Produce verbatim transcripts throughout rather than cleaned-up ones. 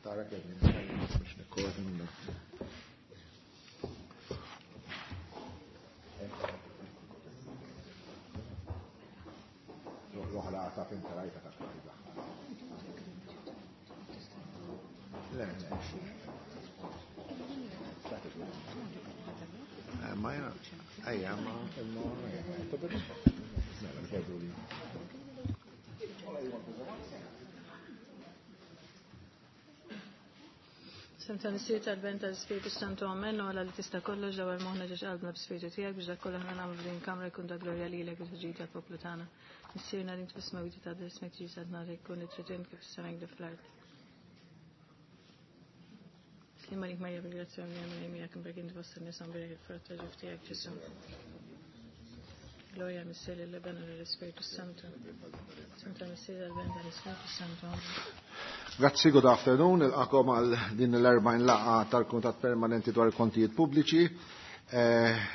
Tara kemm biex nikkoordina. L-oħra ta' fin tarajta ta' tajba. Le, le. Ma jena, ejja, ma, ma, Semta Missier tal-Ben tal-Spiritu Santu Amen, u għala li tista' kollox dawar moħna ġiex qalbna b'Spiritu tiegħek biex dak kollu aħna nagħmlu f'din kamra jkun ta' glorja lilek u ġid tal-poplu tagħna. Missierna li fis-smewwiet ta' ismek ġie sadna jkun it-tridin kif is-sema jgħidu fl-art. Slima lik Marija bil-grazzja minn miegħek imberk inti fost in-nisa mberek il-frott ta' ġuf tiegħek Ġesù. Gloria Missier lill-Iben u lill-Ispiritu Santu. Semta Missier tal-Ben tal-Ispiritu Santu. Grazzi, good afternoon. Nilqakom għal din l-erbgħin laqgħa tal-Kumitat Permanenti dwar il-Kontijiet Pubbliċi.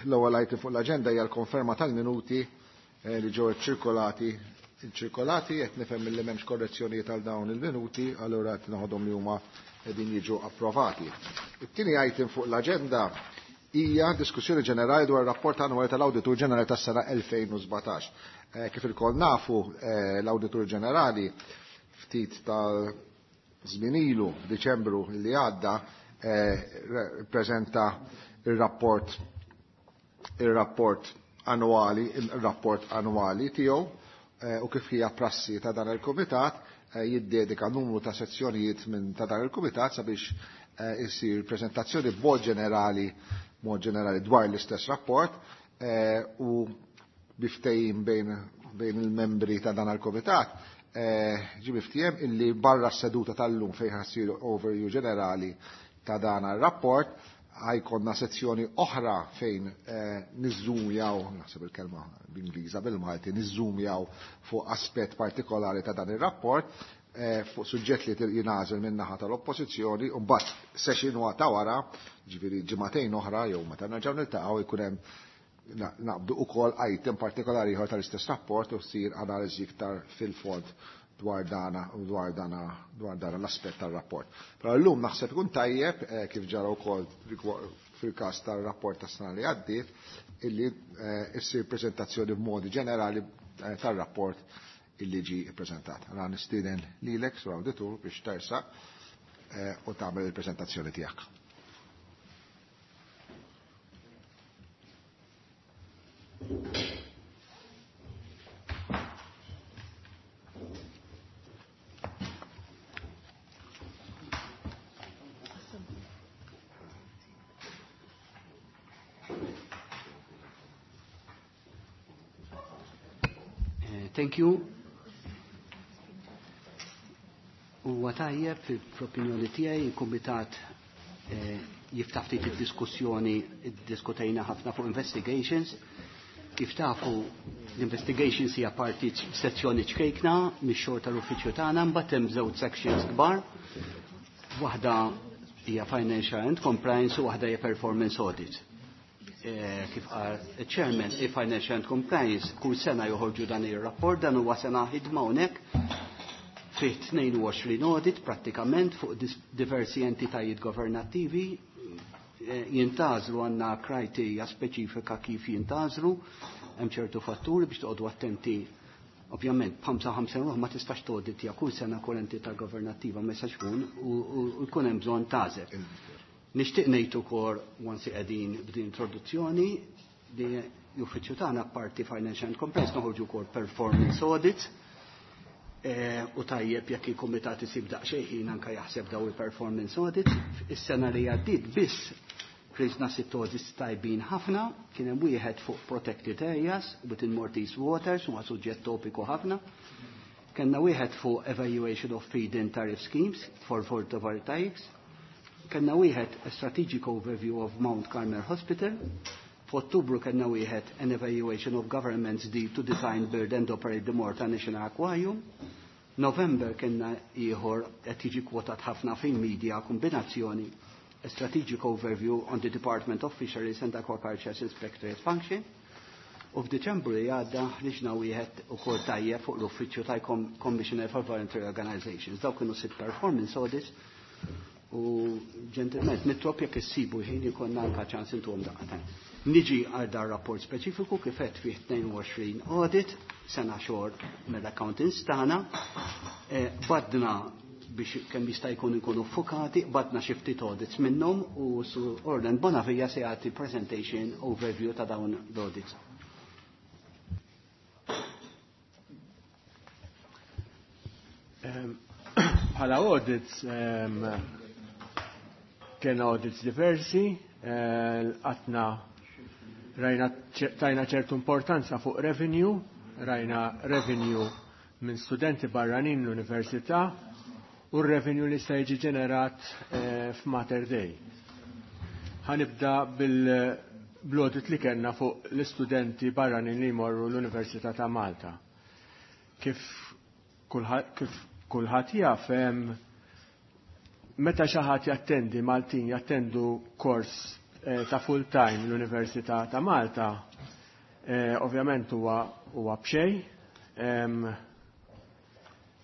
L-ewwel item fuq l-aġenda hija l-konferma tal-minuti li ġew ċirkolati ċirkolati qed nifhem milli m'hemmx korrezzjonijiet għal dawn il-minuti, allura qed naħodhom li huma qegħdin jiġu approvati. It-tieni item fuq l-aġenda hija diskussjoni ġenerali dwar ir-rapport annwali tal-Awditur Ġenerali tas-sena elfejn u sbatax. Kif ilkoll nafu, l-Awditur Ġenerali ftit tal żmien ilu, f'Diċembru li għadda, ppreżenta ir-rapport ir-rapport annwali, ir-rapport annwali tiegħu, u kif hija prassi ta' dan il-kumitat, jiddedika numru ta' sezzjonijiet minn ta' dan il-kumitat sabiex isir preżentazzjoni b'mod ġenerali mod ġenerali dwar l-istess rapport u biftejjim bejn bejn il-membri ta' dan il-kumitat ġie miftiehem illi barra s-seduta tal-lum fejn ħassir overview ġenerali ta' dan ir-rapport ħajkonna sezzjoni oħra fejn niżżumjaw, naħseb il-kelma bl-Ingliża bil-Malti, niżżumjaw fuq aspett partikolari ta' dan ir-rapport fuq suġġett li jingħażel min-naħa tal-oppożizzjoni u mbagħad session ta' wara, ġifieri ġimagħtejn oħra jew meta nerġgħu niltaqgħu jkun hemm naqbdu ukoll item partikolari ieħor tal-istess rapport u ssir analiżi iktar fil-fond dwar dana dwar dana dwar dana l-aspett tar-rapport. Però llum naħseb ikun tajjeb kif ġara wkoll fil-każ tar-rapport tas-sena li għaddiet illi issir preżentazzjoni b'modi ġenerali tar-rapport illi ġie ppreżentat. Allora nistieden lilek sur awditur biex tersaq u tagħmel il-preżentazzjoni tiegħek. Thank you. Huwa tajjeb fl-opinjoni tiegħi il-kumitat jiftaħ ftit id-diskussjoni, iddiskutejna ħafna fuq investigations. Kif tafu l-investigations hija parti sezzjoni ċkejkna mix-xogħol tal-uffiċċju tagħna, mbagħad hemm żewġ sections kbar. Waħda hija financial and compliance u waħda hija performance audit. Kif qal il-chairman, il-Financial and Compliance kull sena joħorġu dan ir-rapport, dan huwa sena ħidma hawnhekk fih tnejn u għoxrin audit prattikament fuq diversi entitajiet governattivi, jintgħażlu għandna kriterja speċifika kif jintgħażlu, hemm ċertu fatturi biex toqgħodu attenti. Ovvjament b'ħamsa ħamsa ruħ ma tistax toditja kull sena kull entità governattiva ma jistax ikun u jkun hemm bżonn tagħżel. Nixtieq ngħid ukoll once qegħdin b'din introduzzjoni li l-uffiċċju tagħna apparti Financial and Compliance noħorġu wkoll performance audits u tajjeb jekk il-kumitat isib daqsxejn ħin anke jaħseb daw il-performance audits. Is-sena li għaddiet biss ħriġna sitt audits tajbin ħafna, kien hemm wieħed fuq protected areas within Maltese waters, huwa suġġett topiku ħafna. Kellna wieħed fuq evaluation of feed-in tariff schemes for photovoltaics. Kellna wieħed a strategic overview of Mount Carmel Hospital. F'Ottubru kellna wieħed an evaluation of government's deed to design, build and operate the Malta National Aquarium. November kellna ieħor qed jiġi kwotat ħafna fil-media kombinazzjoni a strategic overview on the Department of Fisheries and Aquaculture Inspectorate function. U f'Diċembru li għadda ħriġna wieħed ukoll tajjeb fuq l-uffiċċju tal-Commissioner for Voluntary Organizations. Dawk kienu sitt performance audits U ġentilment nitlob jekk issibu ħin ikollna anke ċans intuhom daqqa. Niġi għal dar rapport speċifiku kif qed fih tnejn u għoxrin audit, sena xogħol mill-accountants tagħna, badna biex kemm jista' jkun ikunu fokati, badna xi ftit audits minnhom u su Orland Bonavia se jagħti presentation overview ta' dawn l-audits. Bħala audits kien audits diversi, għatna rajna tajna ċertu importanza fuq revenue, rajna revenue minn studenti barranin l-università u r-revenue li se jiġi ġenerat f'Mater Dei. Ħanibda bil-audit li kellna fuq l-istudenti barranin li jmorru l-Università ta' Malta. Kif kulħadd jaf, meta xi ħadd jattendi Maltin jattendu kors ta' full time l-Università ta' Malta, ovvjament huwa huwa b'xejn.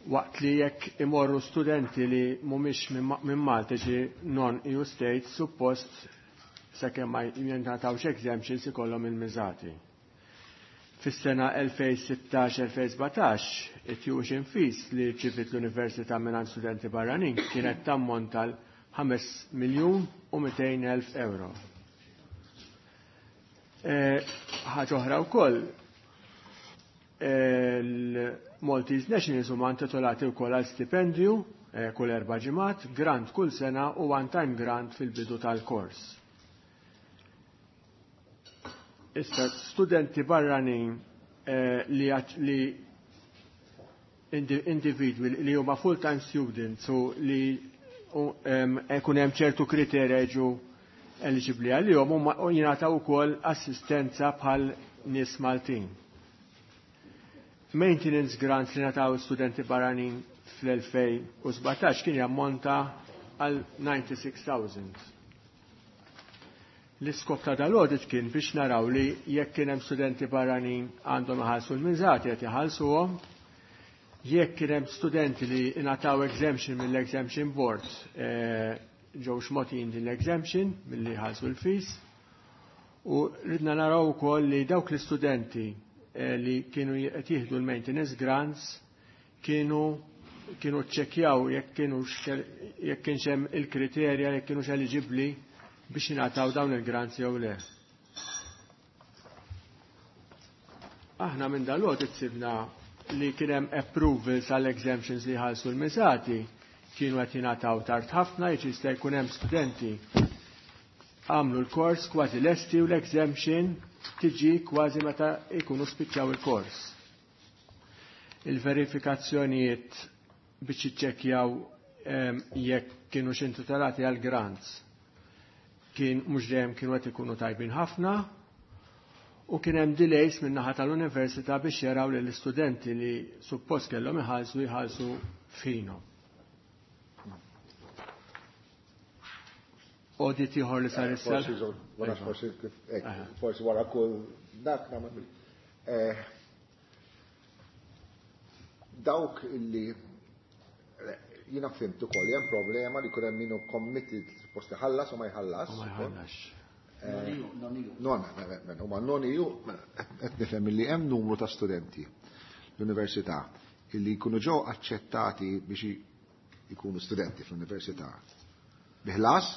Waqt li jekk imorru studenti li mhumiex minn Malta ġi non-E U states, suppost sakemm ma jingħatawx exemptions ikollhom il-miżati. Fis-sena elfejn sittax elfejn sbatax, it-tuition fees li rċivit l-Università mingħand studenti barranin kienet tammont tal ħames miljun u mitejn elf euro. Ħaġa oħra wkoll, il-Maltese Nationals huma intitolati wkoll għal stipendju kull erba' ġimgħat, grant kull sena u one-time grant fil-bidu tal-kors. Issa, studenti barranin li li individwi li huma full-time students u li ikun hemm ċertu kriterja jiġu eligibbli għalihom huma jingħataw ukoll assistenza bħal nies Maltin. Maintenance grants li ngħataw studenti barranin fl-elfejn u sbatax kien jammonta għal ninety-six thousand. L-iskop ta' dal-audit kien biex naraw li jekk kien hemm studenti barranin għandhom iħallsu l-miżati qed iħallsuhom, jekk kien hemm studenti li ingħataw exemption mill-exemption board, ġew xmotin din l-exemption milli ħallsu l-fees, u ridna naraw ukoll li dawk l-istudenti li kienu qed jieħdu l-maintenance grants kienu kienu ċċekkjaw jekk kienu jekk kienx hemm il-kriterja jekk kienux eliġibbli biex jingħataw dawn il-grants jew le. Aħna minn dal-audit sibna li kien hemm approvals għall exemptions li ħallsu l-miżati kienu qed jingħataw tard ħafna, jiġi jista' jkun hemm studenti għamlu l-kors kważi lesti u l-exemption tiġi kważi meta jkunu spiċċaw il-kors. Il-verifikazzjonijiet biex jiċċekkjaw jekk kienu x'intitolati għal grants kien mhux dejjem kienu qed ikunu tajbin ħafna, u kien hemm delays min naħa tal-università biex jaraw li l-istudenti li suppost kellhom iħallsu jħallsu f'ħinhom. Audit ieħor li sar issa. Forsi żgur, wara forsi kif hekk, forsi wara kull dak nagħmel. Eh, dawk illi jiena fhimt ukoll hemm problema li jkun hemm min hu committed suppost iħallas u ma jħallas. U ma jħallas. Non, huma non-E U, qed nifhem li hemm numru ta' studenti l-università illi jkunu ġew aċċettati biex jkunu studenti fl-università biħlas,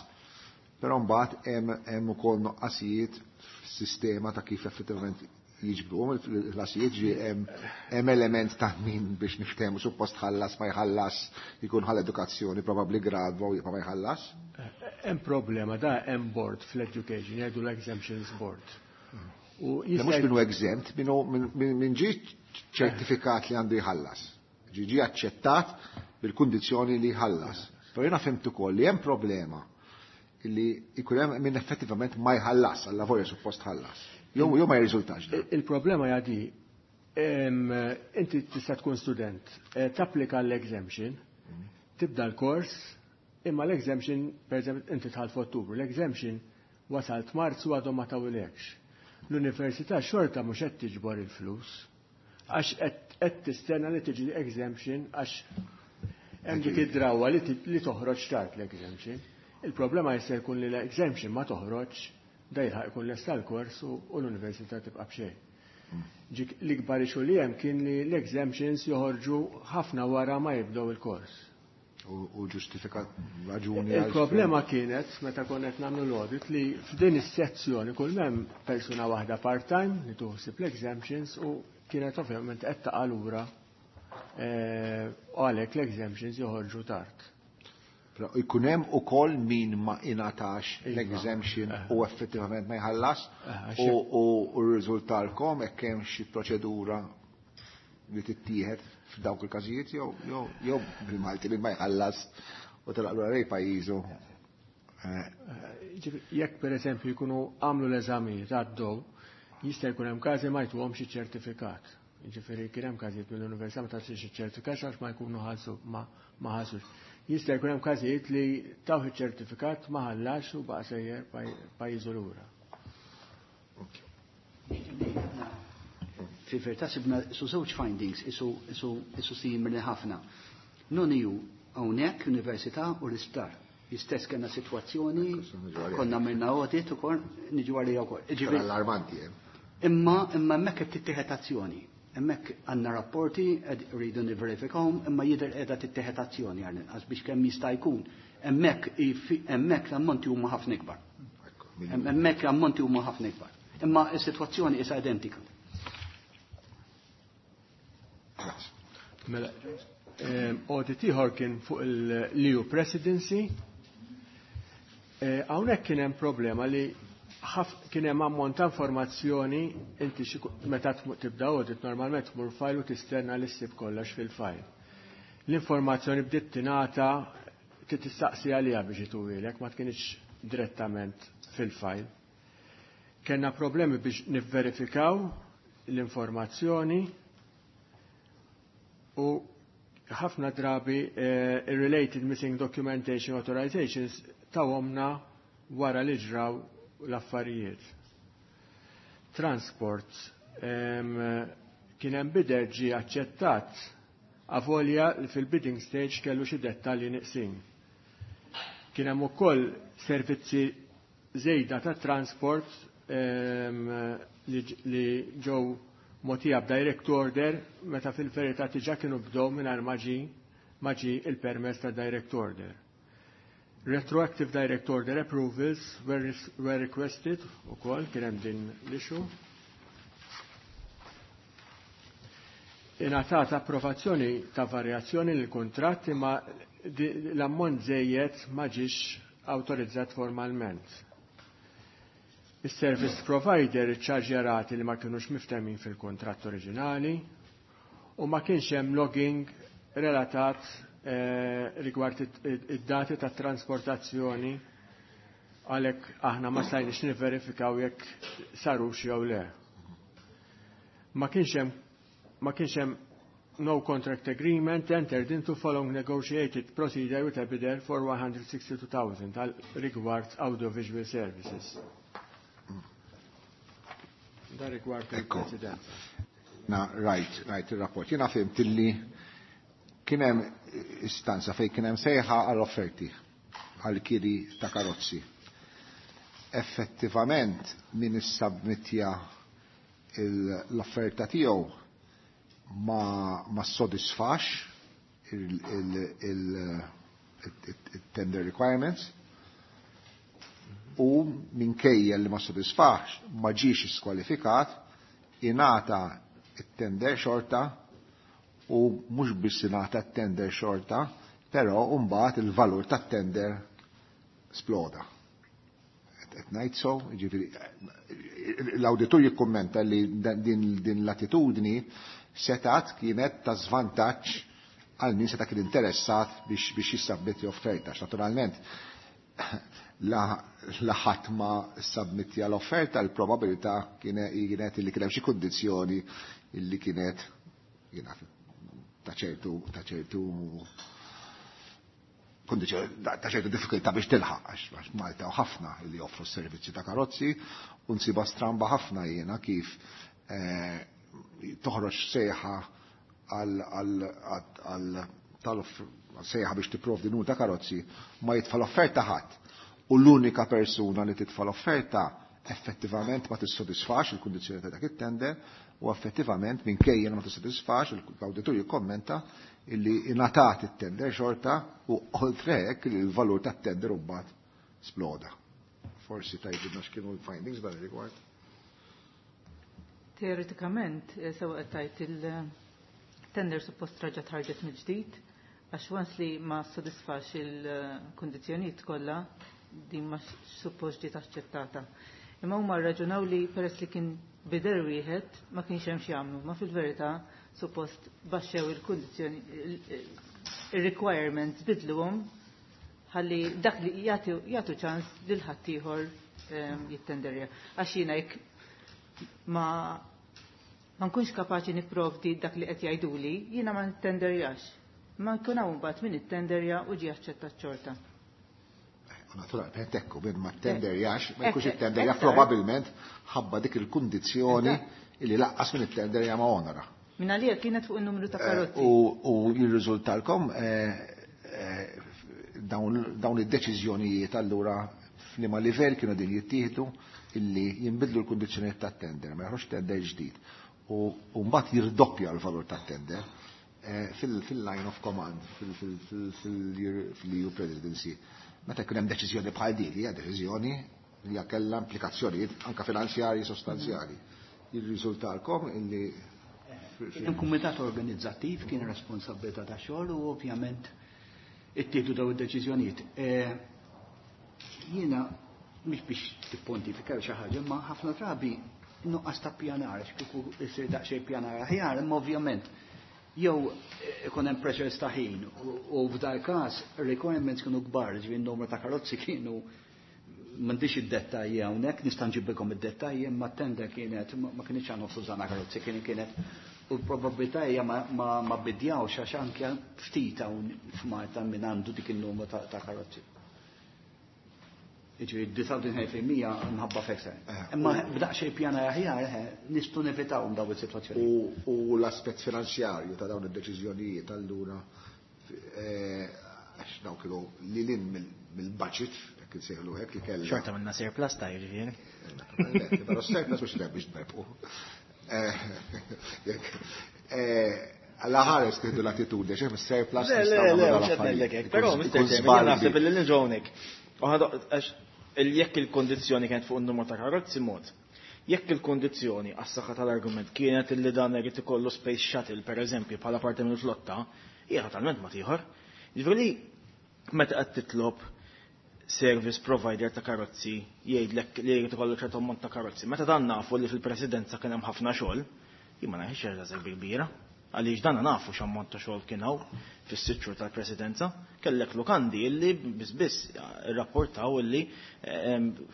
però mbagħad hemm, hemm ukoll noqqasijiet fis-sistema ta' kif effettivament jiġbruhom il-ħlasijiet, ġi hemm, hemm element ta' min biex niftehmu suppost ħallas ma jħallas, jkun ħall edukazzjoni probabbli gradwa u jibqa' ma jħallas. Hemm problema da hemm board fl-education, jgħidu l-exemptions board. U Le mhux jista' minnu exempt, minnu min, min ġi ċertifikat li għandu jħallas. Ġi ġi aċċettat bil-kundizzjoni li jħallas. Però jiena fhimt ukoll li hemm problema li jkun hemm min effettivament ma jħallas, alla volja suppost ħallas. Jew jew ma jirriżultax dan. Il-problema hija di, em, inti tista' tkun student, eh, tapplika l-exemption, tibda l-kors, imma l-exemption, per eżempju, inti tħall f'Ottubru, l-exemption wasalt Marzu għadhom ma tawilekx. L-università xorta mhux qed tiġbor il-flus, għax qed tistenna li tiġi exemption għax Hemm dik id-drawwa li toħroġ tard l-exemption. Il-problema jista' jkun li l-exemption ma toħroġ, da jilħaq ikun lesta l-kors u l-università tibqa' b'xejn. Ġik l-ikbar issue li hemm kien li l-exemptions joħorġu ħafna wara ma jibdew il-kors. U ġustifikat raġuni. Il-problema kienet meta konna qed nagħmlu l-audit li f'din is-sezzjoni kull m'hemm persuna waħda part-time li tuħsib l-exemptions u kienet ovvjament qed taqa' lura u għalhekk l-exemptions joħorġu tard. Però jkun hemm ukoll min ma ingħatax l-exemption u effettivament ma jħallas u rriżultalkom hekk hemm xi proċedura li tittieħed f'dawk il-każijiet jew jew jew bil-Malti li ma jħallas u telaq lura lejn pajjiżu. Jekk pereżempju jkunu għamlu l-eżamijiet għaddew, jista' jkun hemm każi ma jtuhom xi ċertifikat. Jiġifieri kien hemm każijiet mill-università ma tagħtix iċ-ċertifikat għax ma jkunu ħallsu ma ħallsux. Jista' jkun hemm każijiet li tawh iċ-ċertifikat ma ħallax u baqa' sejjer pajjiżu lura. Fi verità sibna su żewġ findings isu isu isu simili ħafna. Non-E U hawnhekk università u l-isptar. Istess kellna sitwazzjoni, konna minna audit ukoll niġu għalija wkoll. Ġifieri allarmanti. Imma imma hemmhekk qed tittieħed azzjoni. Hemmhekk għandna rapporti rridu nivverifikawhom, imma jidher qiegħda tittieħed azzjoni għall-inqas biex kemm jista' jkun. Hemmhekk hemmhekk l-ammonti huma ħafna ikbar. Hemmhekk l-ammonti huma ħafna ikbar. Imma s-sitwazzjoni issa identika. Mela, audit ieħor kien fuq il-E U Presidency. Hawnhekk kien hemm problema li kien hemm ammont ta' informazzjoni inti meta tibda audit normalment tmur file u tistenna li ssib kollox fil-file. L-informazzjoni bdiet tingħata tistaqsi għaliha biex ituwilek, ma tkienx direttament fil-file. Kenna problemi biex nivverifikaw l-informazzjoni u ħafna drabi related missing documentation authorizations tawhomna wara li ġraw l-affarijiet. Transport kien hemm bidder ġie aċċettat avolja li fil-bidding stage kellu xi dettalji neqsin. Kien hemm ukoll servizzi żejda ta' transport li ġew mogħtija b'direct order meta fil-verità diġà kienu bdew mingħajr ma ġie il-permess ta' direct order. Retroactive direct order approvals were, were requested ukoll kien hemm din l-issue. Ingħatat approvazzjoni ta' varjazzjoni lil kuntratt imma l-ammont żejjed ma ġiex awtorizzat formalment. Is-service provider iċċarġja li ma kinux miftemin fil-kontratt oriġinali u ma kienx hemm logging relatat eh, rigward id-dati ta' trasportazzjoni, għalhekk aħna ma stajniex nivverifikaw jekk sarux jew le. Ma kienx hemm ma kienx hemm no contract agreement entered into following negotiated procedure with a bidder for one hundred sixty-two thousand għal rigward audiovisual services. Da rigward il-President. Na, right, right, il-rapport. Jiena fhimt illi kien hemm istanza fejn kien hemm sejħa għall-offerti għal-kiri ta' karozzi. Effettivament, min issubmittja l-offerta tiegħu ma, ma sodisfax il-tender requirements u minkejja li ma sodisfax ma ġiex skwalifikat, ingħata it-tender xorta u mhux biss ingħata t-tender xorta, però mbagħad il-valur tat-tender sploda. Qed ngħid so, jiġifieri l-awditur jikkummenta li din, din l-attitudni setat kienet ta' żvantaġġ għal min seta' kien interessat biex biex jissabmetti offerta. Naturalment, la ħadd ma submittja l-offerta, l-probabilità kienet li kien hemm xi kundizzjoni illi kienet ta' ċertu ta' ċertu kundizzjoni ta' ċertu diffikultà biex tilħaq, għax Malta u ħafna li joffru s-servizzi ta' karozzi u nsiba stramba ħafna jiena kif eh, toħroġ sejħa għal sejħa biex tipprovdi numru ta' karozzi ma jitfa' l-offerta ħadd. U l-unika persuna li titfa' l-offerta effettivament ma tissodisfax il-kundizzjoni ta' dak it-tender u effettivament minkejja ma tissodisfax l-awditur jikkommenta illi ingħatat it-tender xorta u oltre hekk li l-valur tat-tender mbagħad sploda. Forsi tgħidilna x'kienu l-findings dan ir-rigward. Teoretikament, sewa qed tgħid il-tender suppost raġa tħarġet mill-ġdid, għax once li ma sodisfax il-kundizzjonijiet kollha din ma suppost ġiet aċċettata. Imma huma rraġunaw li peress li kien bidder wieħed ma kienx hemm x'jagħmlu, ma fil-verità suppost baxxew il-kundizzjoni il-requirements bidluhom ħalli dak li jagħtu jagħtu ċans lil ħaddieħor jittenderja. Għax jiena jekk ma ma nkunx kapaċi nipprovdi dak li qed jgħiduli, jiena ma nittenderjax. Ma nkun hawn mbagħad min ittenderja u ġie aċċettat xorta. Naturalment ekku minn ma ttenderjax, ma jkunx ittenderja probabilment ħabba dik il-kundizzjoni illi laqqas minn ittenderja ma onora. Min għalija kienet fuq in-numru ta' karozzi. U jirriżultalkom dawn id-deċiżjonijiet allura f'liema livell kienu din jittieħdu illi jinbidlu l-kundizzjonijiet tat-tender, ma joħroġ tender ġdid. U mbagħad jirdoppja l-valur tat-tender fil-line of command, fil-E U Presidency. Meta jkun hemm deċiżjoni bħal dik, hija deċiżjoni li kellha implikazzjonijiet anke finanzjarji sostanzjali. Jirriżultalkom illi Kien kumitat organizzattiv, kien responsabilità ta' xogħol u ovvjament ittieħdu daw id-deċiżjonijiet. Jiena mhix biex tippontifika xi ħaġa, imma ħafna drabi nuqqas ta' pjanar, kieku jsir daqsxejn pjanar aħjar, imma ovvjament jew ikun hemm pressures ta' ħin u f'dal każ requirements kienu kbar, ġifieri n-numru ta' karozzi kienu, m'għandix id-dettalji hawnhekk, nista' nġibilkom id-dettalji, imma t-tender kienet ma kienx għan nofsu żana karozzi, kien kienet u l-probabilità hija ma bidjawx għax anke ftit hawn f'Malta min għandu dik in-numru ta' karozzi. Jiġifieri disgħa u tletin fil-mija mħabba fekser. Imma b'daqsxejn pjana aħjar nistgħu nevitawhom dawn is-sitwazzjoni. U l-aspett finanzjarju ta' dawn id-deċiżjonijiet allura, għax dawk kienu lil hinn mill-budget, jekk insejħlu hekk, li kellha. Xorta minna surplus ta' jiġifieri. Però surplus mhux biex tberbqu. Alla ħares tieħdu l-attitudni, xejn surplus. Le, le, le, mhux qed ngħidlek hekk, però Mister Chairman, naħseb li nġonek. Għax jekk il-kondizzjoni kienet fuq in-numru ta' karozzi mod. Jekk il-kondizzjoni għas-saħħa tal-argument kienet illi dan irid ikollu space shuttle, per eżempju, bħala parti mill-flotta, hija totalment ma tieħor. Jiġifieri meta qed titlob service provider ta' karozzi jgħidlek li jrid ikollu ċertu ammont ta' karozzi. Meta dan nafu li fil-presidenza kien hemm ħafna xogħol, jien ma nafx xi kbira. Għaliex dan nafu x'ammont ta' xogħol kien hawn fis-sitt xhur tal-presidenza, kellek lukandi illi biss biss irrapportaw illi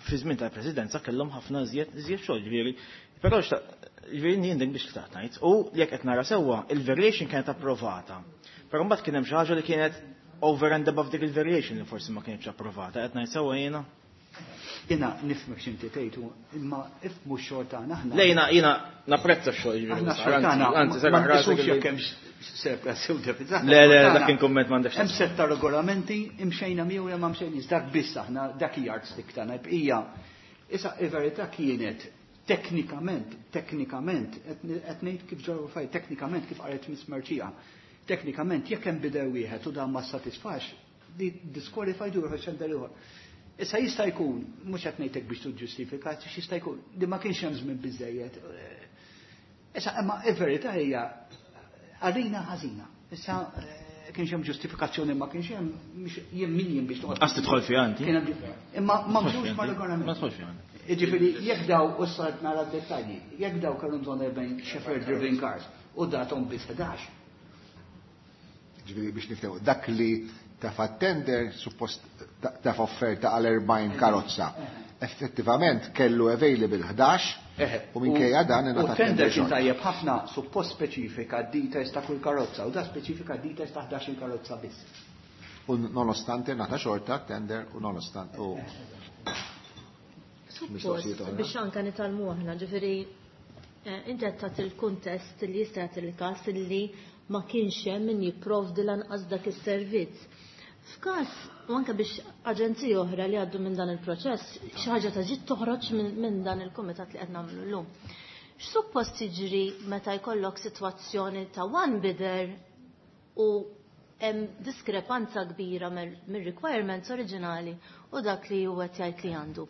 fi żmien tal-presidenza kellhom ħafna iżjed iżjed xogħol, ġifieri. Però ġifieri jien dik biex xtaqt ngħid. U jekk qed nara sewwa, il-variation kienet approvata. Però mbagħad kien hemm xi ħaġa li kienet over and above dik il-variation li forsi ma kienx approvata. Qed ngħid sewwa jiena? Jiena nifhmek x'inti tgħidu, imma ifhmu x-xogħol tagħna aħna. Le, jiena jiena napprezza x-xogħol, ġifieri. Aħna x-xogħol tagħna Anzi, ma nqisux jekk hemm surplus jew deficit. Le, le, dak kien kumment, m'għandekx. Hemm sett ta' regolamenti, imxejna miegħu jew ma mxejniex, dak biss aħna, dak yardstick tagħna bqija. Issa il-verità kienet teknikament, teknikament, qed ngħid kif ġew faj, teknikament kif qalet Miss Mercieca. Teknikament jekk hemm bidder wieħed u dan ma satisfax, di disqualified u tender ieħor. Issa jista' jkun, mhux qed ngħidlek biex tiġġustifika, jista' jkun li ma kienx hemm żmien biżejjed. Issa imma il-verità hija għalina ħażina. Issa kienx hemm ġustifikazzjoni, ma kienx hemm, jien min jien biex toqgħod. Għas tidħol fiha inti. Imma ma mxux ma' regolament. Ma tidħol fiha. Jiġifieri jekk daw u sart nara d-dettalji, jekk daw kellhom bżonn erbgħin chauffeur driven cars u datom biss ħdax. Ġifieri biex niftew, dak li tafa tender suppost tafa offerta għal erbgħin karozza. Effettivament kellu available ħdax u minkejja dan U tender kien tajjeb ħafna, suppost speċifika details ta' kull karozza u da speċifika details ta' ħdax karozza biss. U nonostante ngħata xorta tender u nonostante u Suppost biex anka nitgħallmu aħna, ġifieri inti qed tagħti il-kuntest li jista' jagħti il-każ li ma kienx hemm min jipprovdi lanqas dak is-servizz. F'każ u anke biex aġenziji oħra li għaddu minn dan il-proċess, xi ħaġa ta' ġid toħroġ minn dan il-kumitat li qed nagħmlu llum. X'suppost jiġri meta jkollok sitwazzjoni ta' one bidder u hemm diskrepanza kbira mir-requirements oriġinali u dak li huwa jgħid li għandu.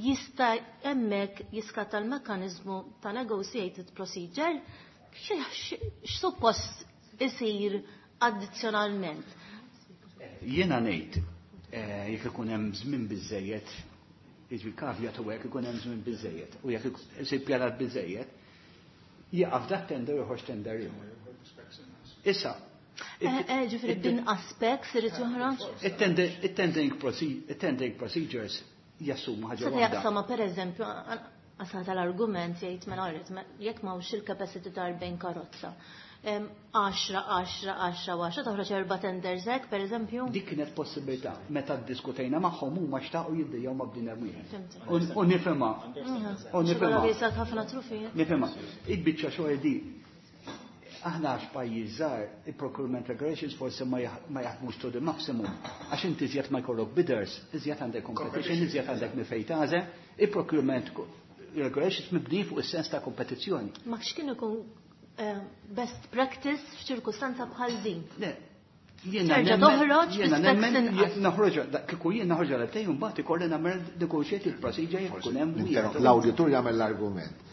Jista' hemmhekk jiskatta l-mekkaniżmu ta' negotiated procedure x'suppost isir addizzjonalment? Jiena ngħid jekk ikun hemm żmien biżejjed, jiġri caveat u jekk ikun hemm żmien biżejjed u jekk isir pjanat biżejjed, jaqaf dak tender joħroġ tender ieħor. Issa, Ġifieri b'inqas specs irid joħroġ? It-tendering procedures jassumu ħaġa waħda. Jaqsama pereżempju, għasal tal-argument jgħid mela għarret, jekk m'hawnx il-capacity ta' erbgħin karozza. għaxra, għaxra, għaxra, għaxra, toħroġ erba' tenders hekk, pereżempju? Dik kienet possibilità. Meta ddiskutejna magħhom huma xtaqu jiddejjew ma' bniedem wieħed. U nifhimha. U nifhimha. Ħafna trufijiet. Nifhimha. Il-biċċa xogħol di aħna għax pajjiż żgħar, il-procurement regulations forsi ma jaħdmux to the maximum. Għax inti iżjed ma jkollok bidders, iżjed għandek competition, iżjed għandek minn fejn tagħżel, il-procurement regulations mibni fuq is-sens ta' kompetizzjoni. Ma x'kien ikun best practice f'ċirkustanza bħal din? Le, Terġa' toħroġ bi specs Noħroġ, kieku jien noħroġ għal tejn mbagħad ikolli nagħmel negotiated procedure jekk ikun hemm wieħed. L-awditur jagħmel l-argument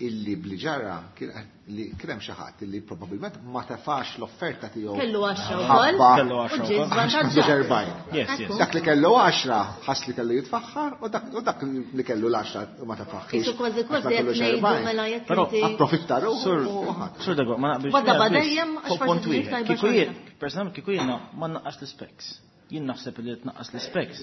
illi bliġara li kien hemm xi ħadd illi probabbilment ma tefax l-offerta tiegħu. Kellu għaxra wkoll. Kellu għaxra. Dak li kellu għaxra ħass li kellu jitfaħħar u dak li kellu l-għaxra ma tefaħħiex. Isu kważi kważi qed ngħidu mela jekk inti. Approfitta ruħu. Sur Dego, ma naqbilx. Wadda dejjem għax punt wieħed. Kieku jien, personalment kieku jiena ma nnaqqax l-specs. Jien naħseb li tnaqqas l-specs.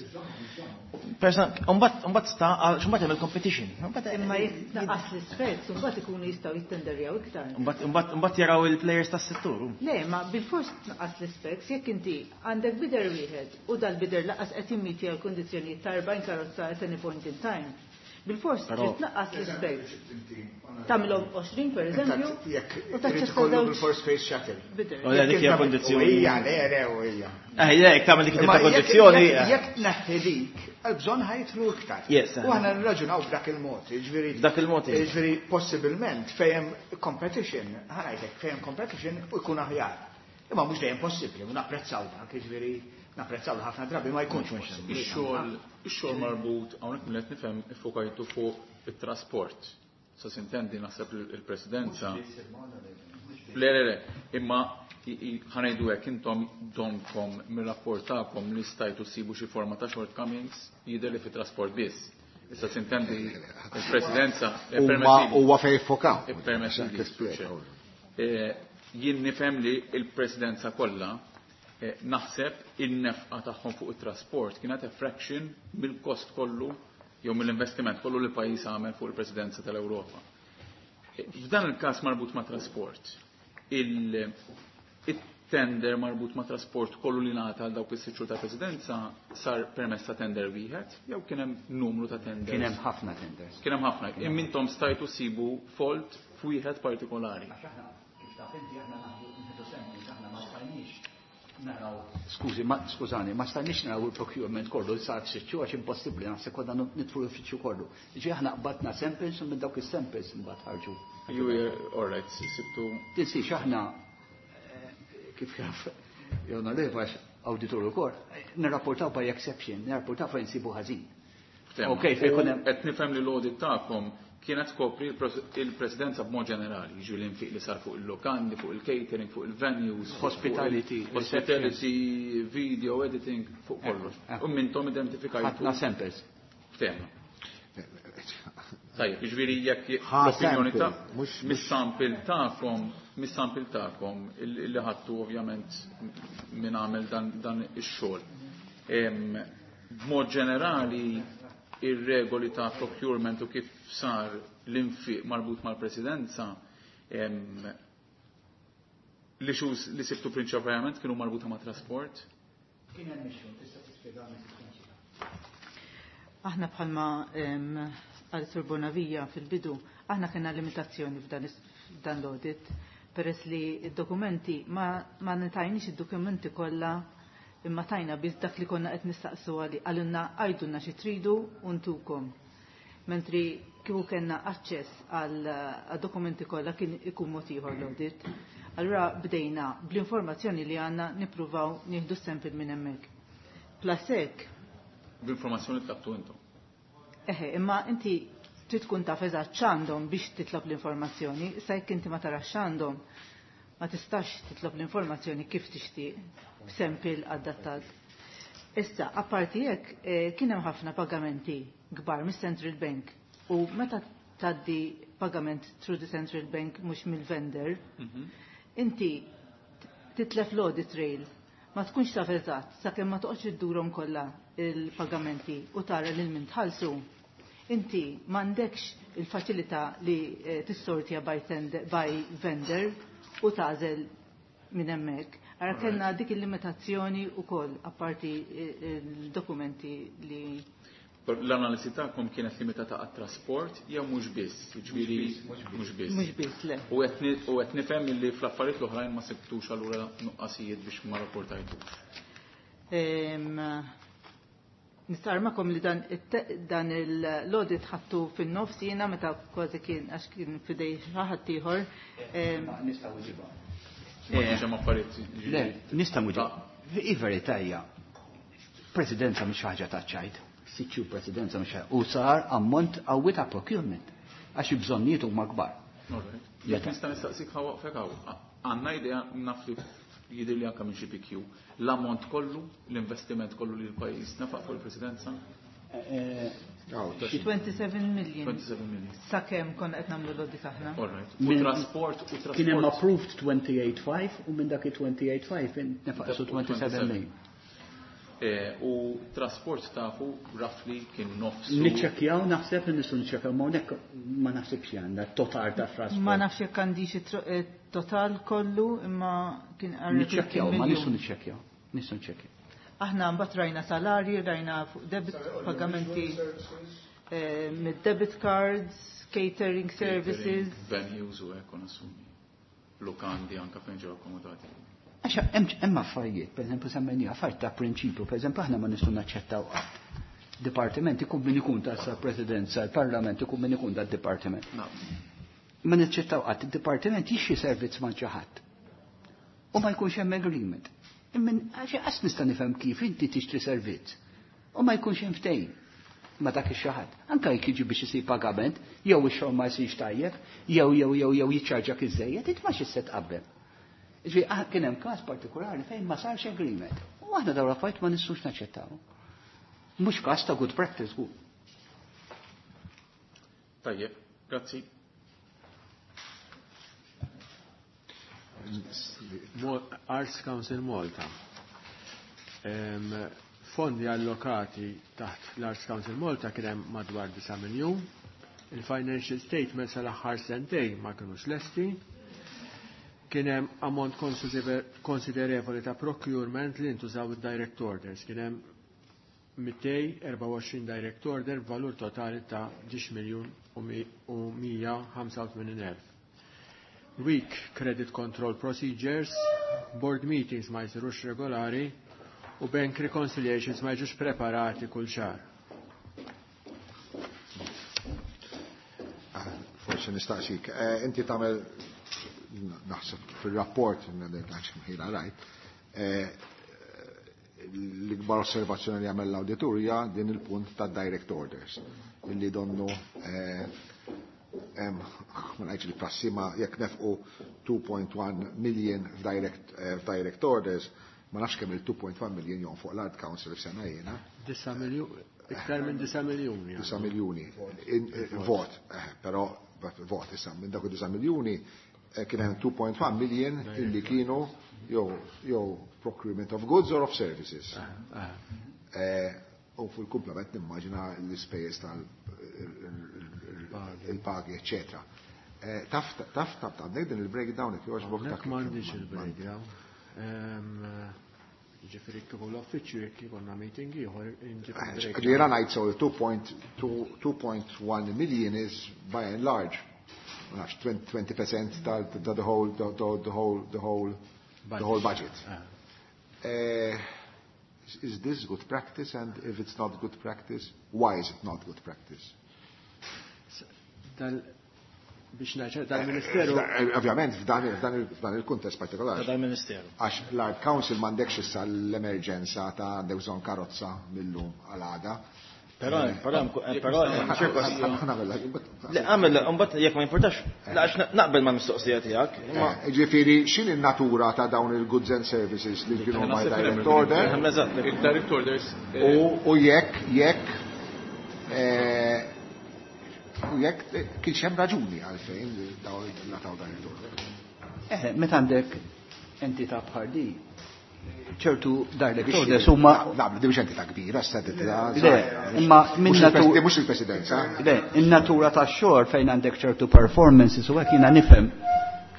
Mbagħad sta għax mbagħad hemm il-competition. Imma jekk tnaqqas l-specs, mbagħad ikunu jistgħu jittenderjaw iktar. Mbagħad mbagħad jaraw il-players tas-settur. Le, ma bil-fors tnaqqas l-specs jekk inti għandek bidder wieħed u dal-bidder laqas qed jimmitja l-kundizzjonijiet ta' erbgħin karozza at any point in time. Bil-fors trid tnaqqas l-specs. Tagħmilhom għoxrin pereżempju. U taċċetta żewġ bil-fors space shuttle. U dik hija kondizzjoni. Hija, le, le, hija. Eh, jekk tagħmel dik ta' kondizzjoni. Jekk tneħħi dik, għal-bżonn ħajtlu iktar. U aħna nirraġunaw b'dak il-mod, jiġifieri. B'dak il-mod. Jiġifieri possibilment fejn competition, ħanajtek fejn competition u jkun aħjar. Imma mhux dejjem possibbli, u napprezzaw dak, jiġifieri napprezzaw ħafna drabi ma jkunx possibbli. Ix-xogħol ix-xogħol marbut hawnhekk milli qed nifhem iffokajtu fuq it-trasport. Sa sintendi naħseb il-presidenza. Le, le, le, imma ħanejdu hekk intom donkom mir-rapport tagħkom li stajtu ssibu xi forma ta' shortcomings jidher li fit-trasport biss. Issa sintendi il-presidenza. Huwa fejn fokaw. Jien nifhem li il-presidenza kollha naħseb in-nefqa tagħhom fuq it-trasport kienet a fraction mill-kost kollu jew mill-investiment kollu li l-pajjiż għamel fuq il-presidenza tal-Ewropa. F'dan il-każ marbut ma' trasport, il-tender marbut ma' trasport kollu li ngħata għal dawk is-sitt xhur ta' presidenza sar permezz ta' tender wieħed jew kien hemm numru ta' tenders? Kien hemm ħafna tenders. Kien hemm ħafna. Imma intom stajtu sibu fault f'wieħed partikolari. Għax aħna kif taf inti aħna naħdu samples, aħna ma stajniex naraw, skużi, ma skużani, ma stajniex naraw il-procurement kollu li sar f'sitt xhur għax impossibbli naħseb konna nidflu l-uffiċċju kollu. Ġi aħna qbadna samples u minn dawk is-samples imbagħad ħarġu. Ju all right, sibtu. Tinsiex aħna kif jaf Jona Levax awditur ukoll, nirrapportaw by exception, nirrapportaw fejn nsibu ħażin. Ok, fejn qed nifhem li l-audit tagħkom kienet tkopri il-presidenza b'mod ġenerali, jiġu l-infiq li sar fuq il-lokandi, fuq il-catering, fuq il-venues, hospitality, hospitality, video editing, fuq kollox. U mintom identifikajtu. Ħafna samples. Ftehma. Tajjeb, jiġifieri jekk l-opinjoni ta' mis-sample tagħkom, mis-sample tagħkom li ħadtu ovvjament min għamel dan ix-xogħol. B'mod ġenerali ir-regoli ta' procurement u kif sar l-infiq marbut mal-presidenza li xus li sibtu prinċipalment kienu marbuta ma' trasport? Kien hemm issue, tista' tispjegani Aħna bħalma għal Sur Bonavija fil-bidu, aħna kellna limitazzjoni f'dan l-audit Peress li d-dokumenti ma, ma nitajniex id-dokumenti kollha imma tajna biss dak li konna qed nistaqsu għali għalunna għajdulna xi tridu u ntukom. Mentri kieku kellna aċċess għal dokumenti kollha kien ikun mod ieħor l-audit. Allura bdejna bl-informazzjoni li għandna nippruvaw nieħdu sample minn hemmhekk. Plus hekk. Bl-informazzjoni tlabtu intom. Eħe, imma inti trid tkun taf eżatt x'għandhom biex titlob l-informazzjoni, issa jekk inti ma tarax x'għandhom, ma tistax titlob l-informazzjoni kif tixtieq b'sample adattat. Issa, apparti hekk, eh, kien hemm ħafna pagamenti kbar mis-Central Bank u meta tgħaddi pagament through the Central Bank mhux mill-vendor, inti titlef l-audit trail. Ma tkunx taf eżatt sakemm ma toqgħodx iddurhom kollha il-pagamenti u tara lil min tħallsu. Inti m'għandekx il-faċilità li eh, tissortja by, tender, by vendor u tagħżel minn hemmhekk. Ara kellna dik il-limitazzjoni wkoll apparti eh, il-dokumenti li L-analiżi tagħkom kienet limitata għat-trasport jew mhux biss, jiġifieri mhux biss. Mhux biss, le. U qed ni- u qed nifhem illi fl-affarijiet l-oħrajn ma sibtux allura nuqqasijiet biex ma rapportajtux. Em, Nistarmakom li dan, it- dan l-audit ħattu fin-nofs jiena meta kważi kien għax kien fidej xi ħadd ieħor. Em, Nistgħu nġibha. Ma kienx hemm affarijiet jiġifieri- Le, nista' muġi. Il-verità hija, presidenza mhix ħaġa ta' ċajt, sitt presidenza mhix ħaġa. U sar ammont qawwi ta' procurement għax il-bżonnijiet huma kbar. Alright. Jekk nista' nistaqsik ħa waqfek hawn. Għandna idea naf li jidher li anke minn xi PQ. L-ammont kollu, l-investiment kollu li l-pajjiż nefaq fuq il-presidenza? twenty-seven million. twenty-seven million. Sakemm konna qed nagħmlu l-audit aħna. Alright. U trasport, u trasport. Kien hemm approved twenty-eight five u minn dak il-twenty-eight five nefaqsu twenty-seven million. Eh, u trasport tafu roughly kien nofsu. Niċċekkjaw, naħseb li nistgħu niċċekkjaw, ma hawnhekk ma naħsibx li għandha total ta' trasport. Ma nafx jekk għandix it-tro-, eh, total kollu, imma kien għarri Niċċekkjaw, ma miljun. nistgħu niċċekkjaw, nistgħu niċċekkjaw. Aħna mbagħad rajna salarji, rajna fuq debit pagamenti, eh, mid-debit cards, catering services. Venues u hekk nassumi. Lukandi anke fejn ġew akkomodati. Għax hemm, hemm affarijiet, per eżempju semmejni affarijiet ta' prinċipju, per eżempju aħna ma nistgħu naċċettaw qatt. Dipartiment ikun min ikun ta' sa presidenza, il-parlament ikun min ikun tad-dipartiment. No. Ma naċċettaw qatt, id-dipartiment jixxi servizz ma' xi ħadd. U ma jkunx hemm agreement. Imma għax qas nista' nifhem kif inti tixtri servizz u ma jkunx hemm ftehim ma dak ix-xi ħadd. Anke jekk jiġi biex isir pagament, jew ix-xogħol ma jsirx tajjeb, jew jew jew jew jiċċarġak iżejjed, int ma xi se tqabbel. Ġifieri, ah, kien hemm każ partikolari fejn ma sarx agreement. U aħna dawn l-affarijiet ma nistgħux naċċettaw. Mhux każ ta' good practice hu. Tajjeb, grazzi. Mo-, Arts Council Malta. Em, fondi allokati taħt l-Arts Council Malta kien hemm madwar disa' miljun. Il-financial statements għal aħħar sentejn ma kinux lesti. Kien hemm ammont konsider-, konsiderevoli ta' procurement li ntużaw id-direct orders. Kien hemm mitej erbgħa u għoxrin direct order b'valur totali ta' dix miljun u mi-, u mija ħamsa u tmenin elf. Weak credit control procedures, board meetings ma jsirux regolari u bank reconciliations ma jiġux preparati kull xahar. Ah, forsi nistaqsik, eh, inti tagħmel naħseb fil-rapport, ħila rajt, eh, l-ikbar osservazzjoni li għamel l-awditurja din il-punt ta' direct orders, illi donnu, eh, em, ma ngħidx li prassi, ma jekk nefqu two point one million f'direct, eh, f'direct orders, ma nafx kemm il-two point one million jon fuq l-Art Council f'sena jiena. Disa miljun, iktar minn disa miljuni. Disa miljuni. In, eh, vot, eh, però vot issa minn dak disa miljuni, eh, kien hemm two point one million illi kienu jew, jew procurement of goods or of services. Eh, eh. Eh, u fil-komplement nimmaġina l-ispejjeż tal il-pagi, eccetera. Eh, taf, taf, taf, taf, din il-breakdown jekk jogħġbok Hawnhekk dak m'għandix ma- il-breakdown. Ehm, Ġifieri kieku l-uffiċċju jekk ikollna meeting ieħor inġib Eh, il-breakdown. Ġifieri ngħid so two point two, two point one million is by and large nafx, twenty percent ta' the whole the, the whole the whole the whole budget. Uh, is this good practice, and if it's not good practice, why is it not good practice? Dal biex ngħid dal-Ministeru. Eh, ovvjament f'dan il-kuntest partikolari. Dal-Ministeru. Għax l-Art Council m'għandekx issa l-emerġenza ta' għandek bżonn karozza millum għal għada. Però, però, però, le, għamel, mbagħad jekk ma jimportax, għax naqbel ma' mistoqsija tiegħek. Ġifieri, x'in in-natura ta' dawn il-goods and services li kienu ma' direct order? Il-direct orders. U jekk, jekk, u jekk kienx hemm raġuni għalfejn dawn nataw direct order. Eh, meta għandek entità bħal di, ċertu direct orders huma Naqblu, di mhux entità kbira, sta entità. Le, imma minn natura. Mhux il-presidenza. Le, in-natura tax-xogħol fejn għandek ċertu performances u hekk, jiena nifhem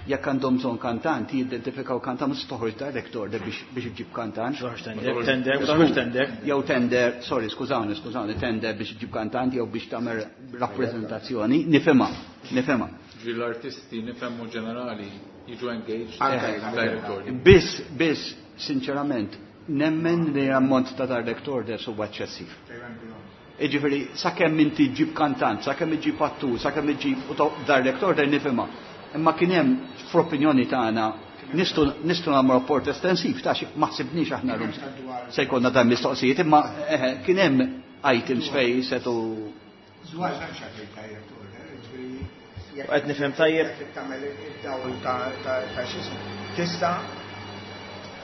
jekk għandhom bżonn kantant, jidentifikaw kantant, mhux toħroġ direct order biex biex iġib kantant. Tender, tender, toħroġ tender. Jew tender, sorry, skużawni, skużawni, tender biex iġib kantant jew biex tagħmel rappreżentazzjoni, nifhimha, nifhimha. L-artisti nifhemu ġenerali jiġu engaged direct order. Biss, biss, sinċerament, nemmen li ammont ta' direct orders huwa eċċessiv. Iġifieri, sakemm inti ġib kantant, sakemm iġib attur, sakemm iġib u direct order nifhimha. Imma kien hemm, fl-opinjoni tagħna, nistgħu nistgħu nagħmlu rapport estensiv ta' xi ma ħsibniex aħna llum se jkollna dan mistoqsijiet, imma eħe, kien hemm items fej setu Dwar m'hemmx għalfejn direct order, ġifieri Qed nifhem tajjeb. Jekk tagħmel id-dawl ta' ta' x'ismu. Tista'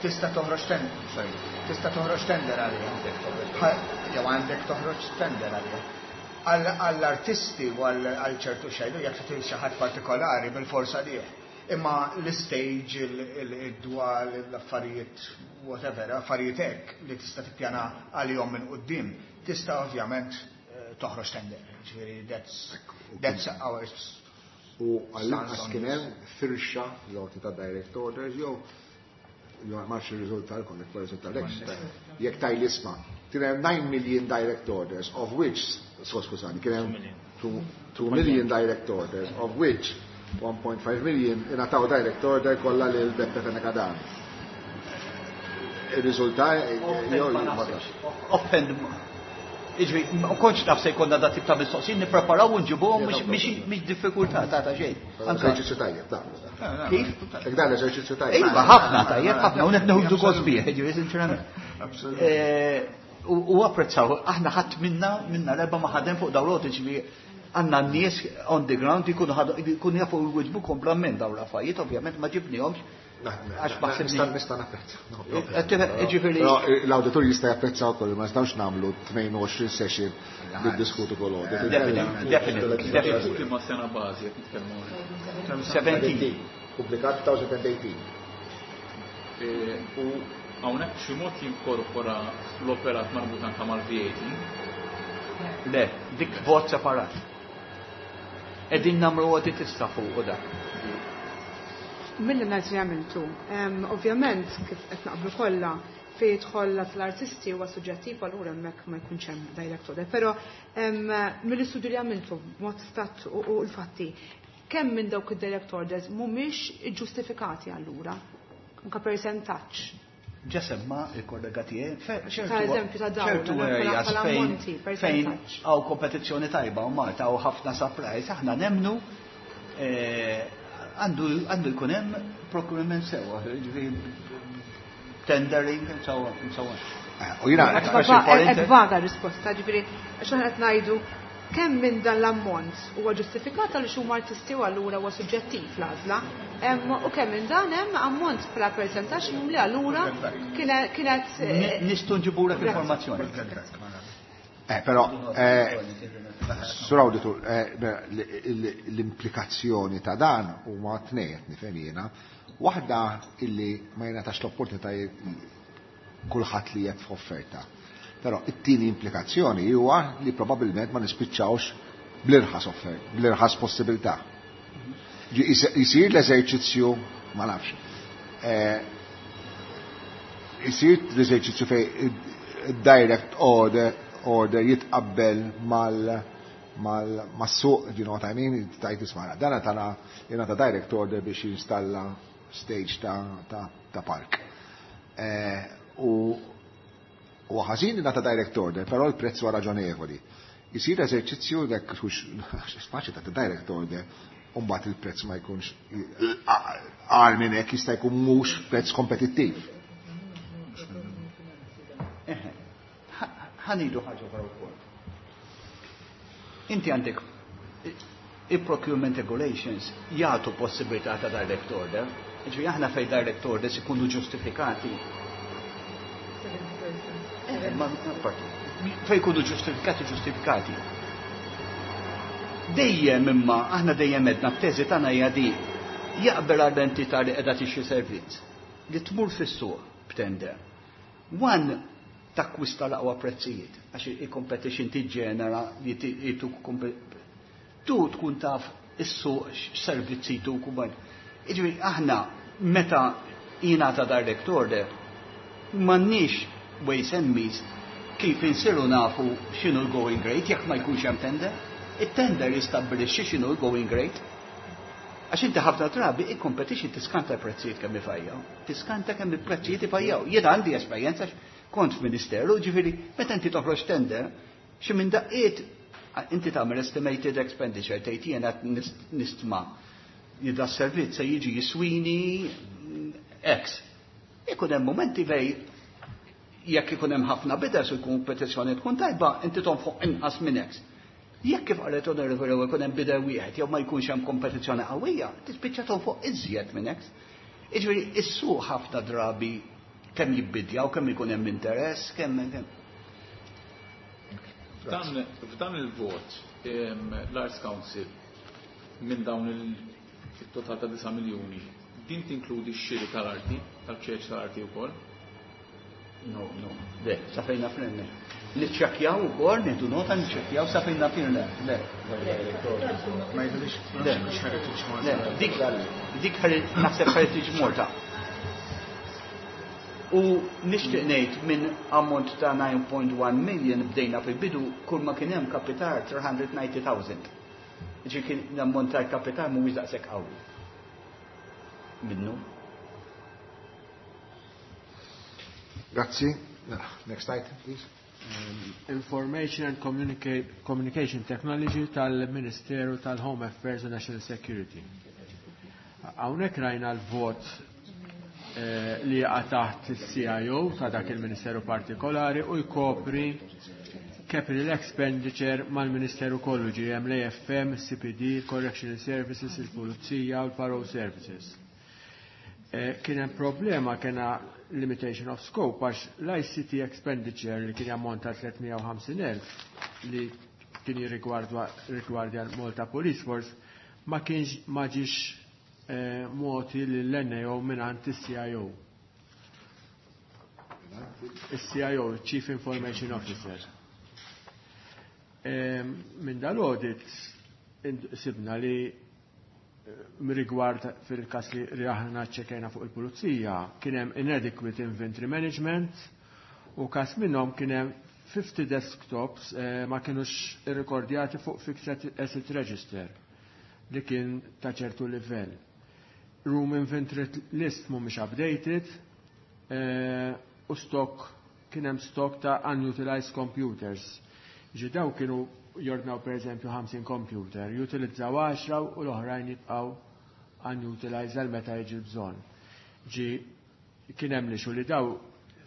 tista' toħroġ tender, sorry, tista' toħroġ tender għaliha. Jew għandek toħroġ tender għaliha. Għall-artisti u għal ċertu xejdu, jekk trid xi ħadd partikolari bil-forsa lih. Imma l-stage, id-dwal, l-affarijiet, whatever, affarijiet hekk li tista' tippjana għalihom minn quddiem, tista' ovvjament eh, toħroġ tender. Ġifieri that's that's our U għall-inqas kien hemm firxa l ta' direct orders jew jew ma nafx ir-riżultat lkom, jekk riżultat lek. Jekk taj l-isma', kien hemm nine million direct orders, of which, so skużani, kien hemm two million direct orders, of which one point five million ingħataw direct order kollha lil Beppe Fenech Adami. Ir-riżultat jew Offend. Iġri, ma kontx naf se jkollna da tip ta' mistoqsijiet, nippreparaw u nġibuhom, mhix diffikultà ta' ta' xejn. Eżerċizzju tajjeb, da. Kif? Jekk dan eżerċizzju tajjeb. Iva, ħafna tajjeb, ħafna, u neħdu gost bih, ġifieri sinċerament. Eh, U apprezzaw, aħna ħadd minna minna l-erba ma ħadem fuq dawn l ġifieri għandna n-nies on the ground jkunu jkunu jafu jwiġbu komplement dawn l-affarijiet, ovvjament ma ġibnihomx għax ma Nista' nista' napprezza. Ġifieri L-awditur jista' japprezza wkoll, ma nistgħux nagħmlu tnejn u għoxrin session niddiskutu kull audit. Definitely, definitely. Ma sena bażi qed nitkellmu. seventeen. Pubblikat twenty eighteen. U hawnhekk b'xi mod jinkorpora l-operat marbut anke mal-V A T. Le, dik vot separat. Qegħdin nagħmlu audit issa fuq u dak. Mill ngħid li għamiltu, ovvjament kif qed naqblu kollha, fejn jidħol l-artisti huwa suġġettiv, allura hemmhekk ma jkunx hemm direct order. Però mill-istudju li għamiltu b'mod stat u l-fatti, kemm minn dawk id-direct orders mhumiex ġustifikati allura? Anka percentaġġ. Ġa semma il-kollega tiegħi, Ta' eżempju ta' dawn, ċertu areas fejn fejn hawn kompetizzjoni tajba u Malta hawn ħafna supplies, aħna nemnu għandu għandu jkun hemm procurement sewwa, ġifieri tendering and so on and so on. U jiena Qed vaga risposta, ġifieri għax aħna qed ngħidu kemm minn dan l-ammont huwa ġustifikat għal huma artisti u allura huwa suġġettiv l-għażla, u kemm minn dan hemm ammont bħala percentaġġ li allura kienet Nistgħu nġibulek informazzjoni. Eh, però, eh, Sur Auditor, eh, l-implikazzjoni ta' dan huma tnejn qed nifhem jiena. Waħda illi ma jingħatax l-opportunità kulħadd li jekk f'offerta. Però it-tieni implikazzjoni huwa li probabbilment ma nispiċċawx bl-irħas offert, bl-irħas possibilità. Jisir l-eżerċizzju, ma nafx, jisir l-eżerċizzju fej direct order order jitqabbel mal mas-suq, you know what I mean, tajt isma' dana tana jingħata direct order biex jinstalla stage ta', ta, ta park. Eh, u u ħażin li nata direct order, però l-prezz huwa raġonevoli. Isir eżerċizzju dak hux faċli ta' direct order, u mbagħad il-prezz ma jkunx għar minn hekk jista' jkun mhux prezz kompetittiv. Ħa ngħidu ħaġa oħra wkoll. Inti għandek il-procurement regulations jagħtu possibilità ta' direct order. Ġifieri aħna fej direct orders ikunu ġustifikati. Eh, ma fej ikunu ġustifikati ġustifikati. Dejjem imma aħna dejjem edna t-teżi tagħna hija di jaqbel għall-entità li qiegħda tixtri servizz li tmur fis-suq b'tender. One takkwista l-aqwa prezzijiet għax il-competition tiġġenera li jituk tu tkun taf is-suq x'servizzi tuk u bad. Jiġifieri aħna meta jingħata direct order m'għandniex ways and means kif insiru nafu x'inhu l-going rate jekk ma jkunx hemm tender. Il-tender jistabbilixxi x'inhu l-going rate. Għax inti ħafna drabi il-competition tiskanta l-prezzijiet kemm ifajjaw. Tiskanta kemm il-prezzijiet ifajjaw. Jien għandi esperjenza kont f'ministeru, ġifieri meta inti toħroġ tender, xi minn daqqiet inti tagħmel estimated expenditure tgħid jiena nistma li da servizz se jiġi jiswini X. Ikun hemm momenti fej jekk ikun hemm ħafna bidders u l-kompetizzjoni tkun tajba, inti tonfoq inqas minn X. Jekk kif qalet onorevoli ikun hemm bidder wieħed jew ma jkunx hemm kompetizzjoni qawwija, tispiċċa tonfoq iżjed minn X. Jiġifieri is-suq ħafna drabi kemm jibbidjaw, kemm ikun hemm interess, kemm kemm. F'dan f'dan il-vot l-Arts Council minn dawn il-total ta' disa' miljuni, din tinkludi x-xiri tal-arti, tal-ċeċ tal-arti wkoll? No, no, le, sa fejn naf le. Niċċekkjaw ukoll, nieħdu nota niċċekkjaw sa fejn naf le, le. Ma jidhirx Le. mhux Heritage Malta. Le, dik dik naħseb Heritage Malta. U nixtieq ngħid minn ammont ta' nine point one million bdejna fil-bidu kull ma kien hemm kapital three hundred ninety thousand. Ġi kien l-ammont tal-kapital mhuwiex daqshekk qawwi. Minnu. Grazzi. Next item, please. Um, Information and Communica-, Communication Technology tal-Ministeru tal-Home Affairs and National Security. Hawnhekk rajna l-vot, eh, li jaqa' taħt il-C I O ta' dak il-Ministeru partikolari u jkopri capital expenditure mal-Ministeru kollu, ġi hemm l-A F M, C P D, Correctional Services, il-Pulizija u l-Parole Services. Eh, kien hemm problema, kena limitation of scope, għax l-I C T expenditure li kien jammonta tliet mija u ħamsin elf li kien jirrigwardja l-Malta Police Force ma kienx ma ġiex, eh, moti lill-N A O mingħand is-C I O. Is-C I O, Chief Information Officer. Eh, minn dal-audit sibna li rigward fil-kas li aħna ċċekajna fuq il-pulizija, kien hemm inadequate inventory management u kas minnhom kien hemm fifty desktops, eh, ma kienux irrekordjati fuq fixed asset register li kien ta' ċertu livell. Room inventory list mhumiex updated, eh, u stock kien hemm stock ta' unutilized computers. Ġi daw kienu jordnaw per eżempju ħamsin computer, jutilizzaw għaxra u l-oħrajn jibqgħu unutilized għal meta jiġi bżonn. Ġi kien hemm li xu li daw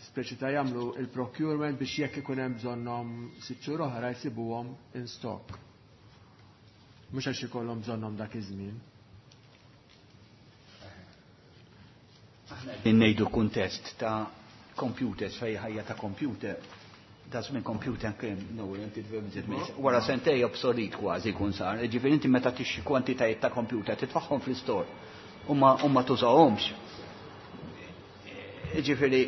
speċi ta' jagħmlu il-procurement biex jekk ikun hemm bżonnhom sitt xhur oħra jsibuhom in stock. Mhux għax ikollhom bżonnhom dak iż-żmien. Aħna qegħdin ngħidu kuntest ta' computers fej ħajja ta' computer. Da żmien computer kien no, inti tfhem inti tfhem. Wara sentej obsolet kważi jkun sar. Ġifieri inti meta tixxi kwantitajiet ta' computer titfaħħom fl-istore u ma, u ma tużahomx. Ġifieri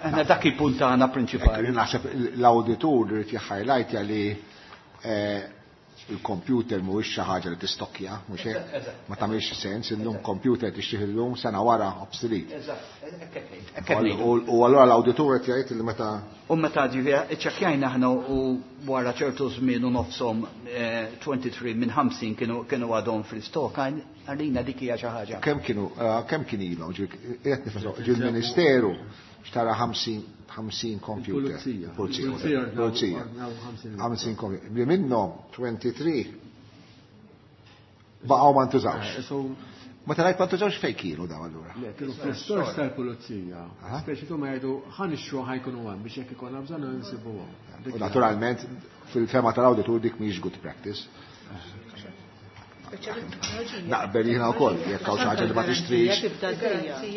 aħna dak il-punt tagħna prinċipali. Ekk, naħseb l-awditur irid jħajlajtja li, eh, Il-computer mhuwiex xi ħaġa li tistokkja, mhux hekk? Ma tagħmilx sens illum computer tixtrih illum sena wara obsolete. U allura l-awditur qed jgħid li meta U meta ġifieri iċċekkjajna aħna u wara ċertu żmien u nofshom twenty-three minn ħamsin kienu kienu għadhom fl-istok, għalina dik hija xi ħaġa. Kemm kienu kemm kien ilhom qed nifhem il-Ministeru xtara ħamsin ħamsin computer. Pulizija. Pulizija. ħamsin computer. Li minnhom twenty-three baqgħu ma ntużawx. Ma tarajt ma ntużawx fejn kienu daw allura? Le, kienu fl-istors tal-pulizija. Speċi tu ma jgħidu ħa nixtru ħa jkunu hemm biex jekk ikollna bżonn insibuhom. U naturalment fil-fema tal-awditur dik mhix good practice. Naqbel jiena wkoll, jekk hawn xi ħaġa li ma tixtrix.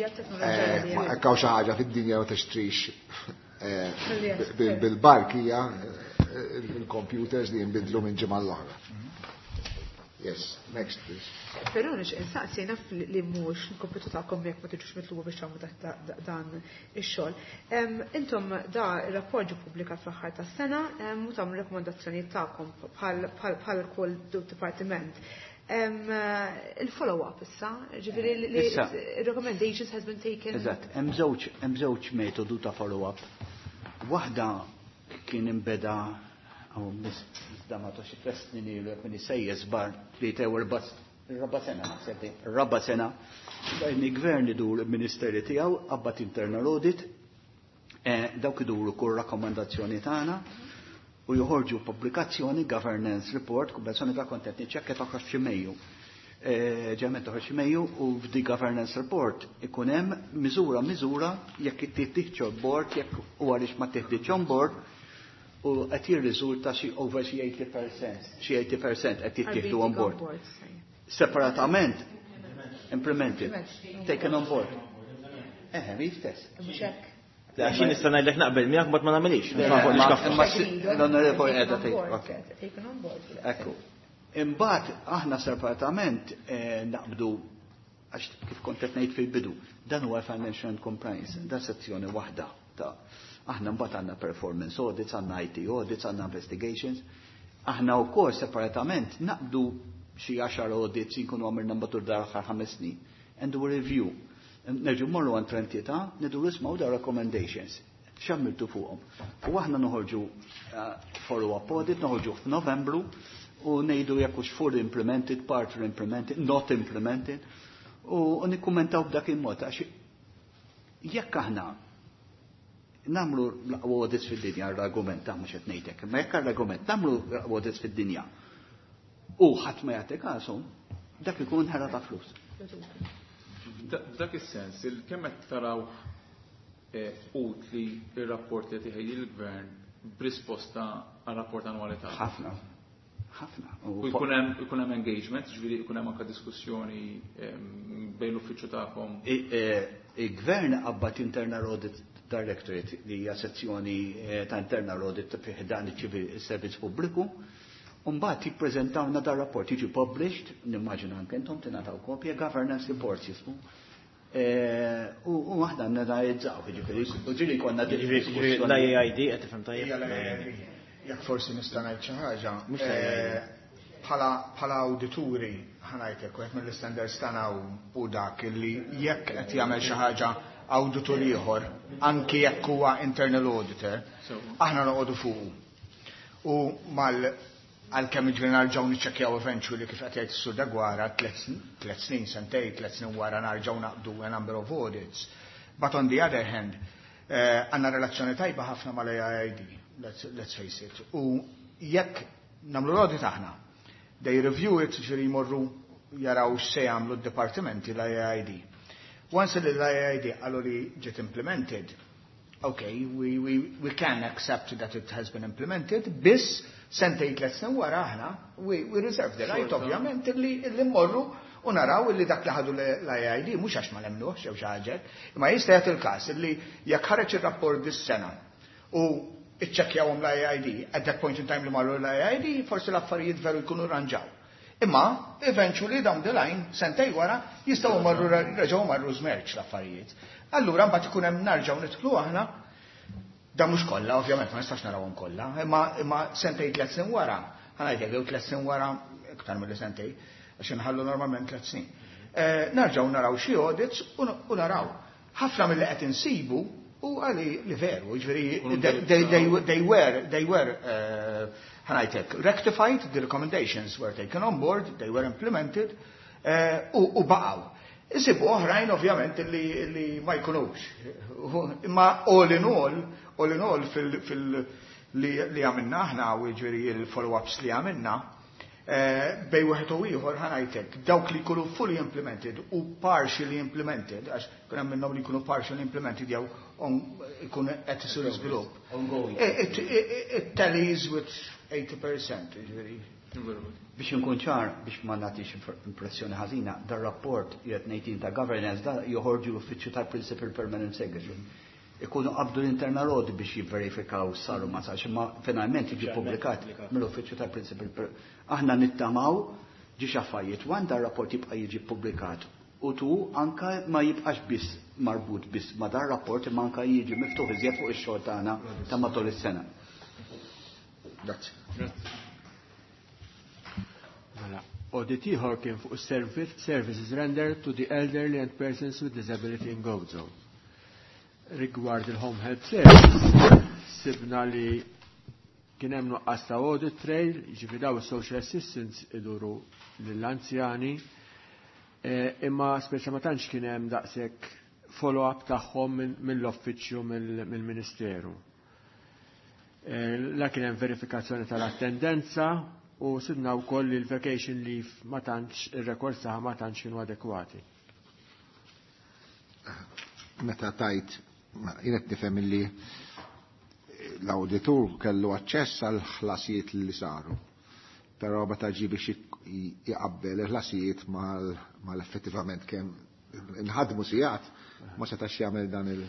Jekk hawn xi ħaġa fid-dinja ma tixtrix bil-bark hija il-computers li jinbidlu minn ġimgħa l-oħra. Yes, next please. Però nix insaqsi naf li mhux il-kompitu tagħkom jekk ma tiġux mitluba biex tagħmlu dan ix-xogħol. Intom da ir-rapport ġie ppubblikat fl-aħħar tas-sena u tagħmlu rakkomandazzjonijiet tagħkom bħal kull dipartiment. Il-follow-up issa, ġifieri li recommendations has been taken. Eżatt, hemm żewġ hemm żewġ metodu ta' follow-up. Waħda kien imbeda għaw miss damato xi tliet snin ilu jekk minni sejjes bar tlieta jew erba' raba' sena naħseb, raba' sena bejn il-gvern idur il-ministeri tiegħu qabad internal audit, dawk iduru kull rakkomandazzjoni tagħna u joħorġu pubblikazzjoni governance report, kumbinazzjoni ta' kontent niċċekkja toħroġ xi Mejju. Ġemet toħroġ xi Mejju u f'di governance report ikun hemm miżura miżura jekk ittieħdx on board, jekk u għaliex ma tieħdx on board, u qed jirriżulta xi over xi eighty percent, xi eighty percent qed jittieħdu on board. Separatament implemented, taken on board. Eħe, mi stess. Mhux hekk. Għaxin nista' ngħidlek naqbel miegħek mbagħad ma nagħmilix. L-onorevoli qiegħda tgħid. Ekku. Imbagħad aħna separatament naqbdu għax kif kont qed ngħid fil-bidu, dan huwa financial and compliance, da sezzjoni waħda ta' aħna mbagħad għandna performance audits, għandna I T audits, għandna investigations. Aħna wkoll separatament naqbdu xi għaxar audits inkunu għamilna matul dar aħħar ħames snin. And do a review. Nerġu morru għand entità, nidu nismgħu da recommendations. X'għamiltu fuqhom. U aħna noħorġu follow-up audit, noħorġu f'Novembru u ngħidu jekk hux fully implemented, partly implemented, not implemented, u nikkummentaw b'dak il-mod għax jekk aħna nagħmlu l-aqwa audits fid-dinja l-argument ta' mhux qed ngħidlek, imma jekk l-argument nagħmlu l-aqwa audits fid-dinja u ħadd ma jagħti kasu, dak ikun ħela ta' flus. F'dak is-sens, kemm qed taraw utli ir-rapport li qed iħejji l-gvern b'risposta għar-rapport annwali tagħna? Ħafna. Ħafna. U jkun hemm jkun hemm engagement, ġifieri jkun hemm anke diskussjoni bejn l-uffiċċju tagħkom. Il-gvern qabad Internal Audit Directorate li hija sezzjoni ta' Internal Audit fih dan iċ-servizz pubbliku. Mbagħad jippreżentawna dar rapport jiġi published, nimmaġina anke intom tingħataw kopja, governance reports jismu. U aħna nanalizzaw, jiġifieri, u ġieli konna diskussjoni. L-I A I D qed tifhem tajjeb? Jekk forsi nista' ngħid xi ħaġa, bħala awdituri ħa ngħidlek wieħed mill-istandards tagħna u dak illi jekk qed jagħmel xi ħaġa awditur ieħor, anki jekk huwa internal auditor, aħna noqogħdu fuqu. U mal għalkemm jiġifieri narġgħu niċċekkjaw eventually kif qed jgħid is-Sur Deguara tliet snin, sentejn, tliet snin wara narġgħu naqbdu a number of audits. But on the other hand, għandna relazzjoni tajba ħafna mal-A I D, let's, let's face it. U jekk nagħmlu l-audit aħna, they review it, ġifieri jmorru jaraw x'se jagħmlu d-dipartimenti l-I A I D. Once l-I A I D qalu li ġiet implemented, okay, we, we, we can accept that it has been implemented, biss sentejn tliet snin wara aħna, we, we reserve the right, ovvjament, illi, illi mmorru u naraw illi dak li ħadu l-I A I D, mhux għax ma nemnuhx jew xi ħaġa, imma jista' jagħti il-każ illi jekk ħareġ ir-rapport dis-sena u iċċekkjawhom l-I A I D, at that point in time li marru l-I A I D, forsi l-affarijiet veru jkunu rranġaw. Imma, eventually, down the line, sentej wara, jistgħu marru reġgħu marru żmerġ l-affarijiet. Allura mbagħad ikun hemm narġgħu nidħlu aħna, da mhux kollha, ovvjament ma nistax narawhom kollha, imma imma sentej tliet snin wara, Ħa ngħidlek jew tliet snin wara, iktar milli sentejn, għax inħallu normalment tliet snin. Eh, nerġgħu naraw xi audits u naraw. Ħafna mill-li qed insibu u għali li veru, ġifieri they were, they were, eh, ħa ngħidlek, rectified, the recommendations were taken on board, they were implemented, eh, u baqgħu. Isibu oħrajn ovvjament li, li ma jkunux. Imma all in all, all in all fil, fil li, li għamilna aħna u ġifieri il-follow-ups li għamilna, eh, bejn wieħed u ieħor ħa ngħidlek, dawk li jkunu fully implemented u partially implemented, għax kun hemm minnhom li jkunu partially implemented jew ikun qed isir żvilupp. It, it, it tallies with eighty percent, ġifieri. Biex nkun ċar, biex ma nagħtix impressjoni ħażina, dar-rapport jgħid ngħid ta' governance da joħorġu l-uffiċċju tal-Principal Permanent Secretary. Ikunu qabdu l-internal audit biex jivverifikaw saru ma sarx, imma finalment jiġi publikat mill-uffiċċju tal-Principal. Aħna nittamaw ġi affarijiet wan dar-rapport jibqa' jiġi publikat u tu anka ma jibqax biss marbut biss ma dar rapport, imma anka jiġi miftuħ iżjed fuq ix-xogħol tagħna ta' matul is-sena. Grazzi. Mela, audit ieħor kien fuq service, services rendered to the elderly and persons with disability in Gozo. Rigward il-home help service, sibna li kien hemm nuqqas ta' audit trail, jiġifieri daw social assistants iduru lill-anzjani, eh, imma speċa ma tantx kien hemm daqshekk follow-up tagħhom mill-uffiċċju mill-Ministeru. Eh, la kien hemm verifikazzjoni tal-attendenza u sibna wkoll li l-vacation leave ma tantx ir-rekords tagħha ma tantx kienu adekwati. Meta tajt, jien qed nifhem illi l-awditur kellu aċċess għal ħlasijiet li saru. Però meta ġi biex jqabbel il-ħlasijiet mal-effettivament kemm inħadmu sigħat, ma setax jagħmel dan il-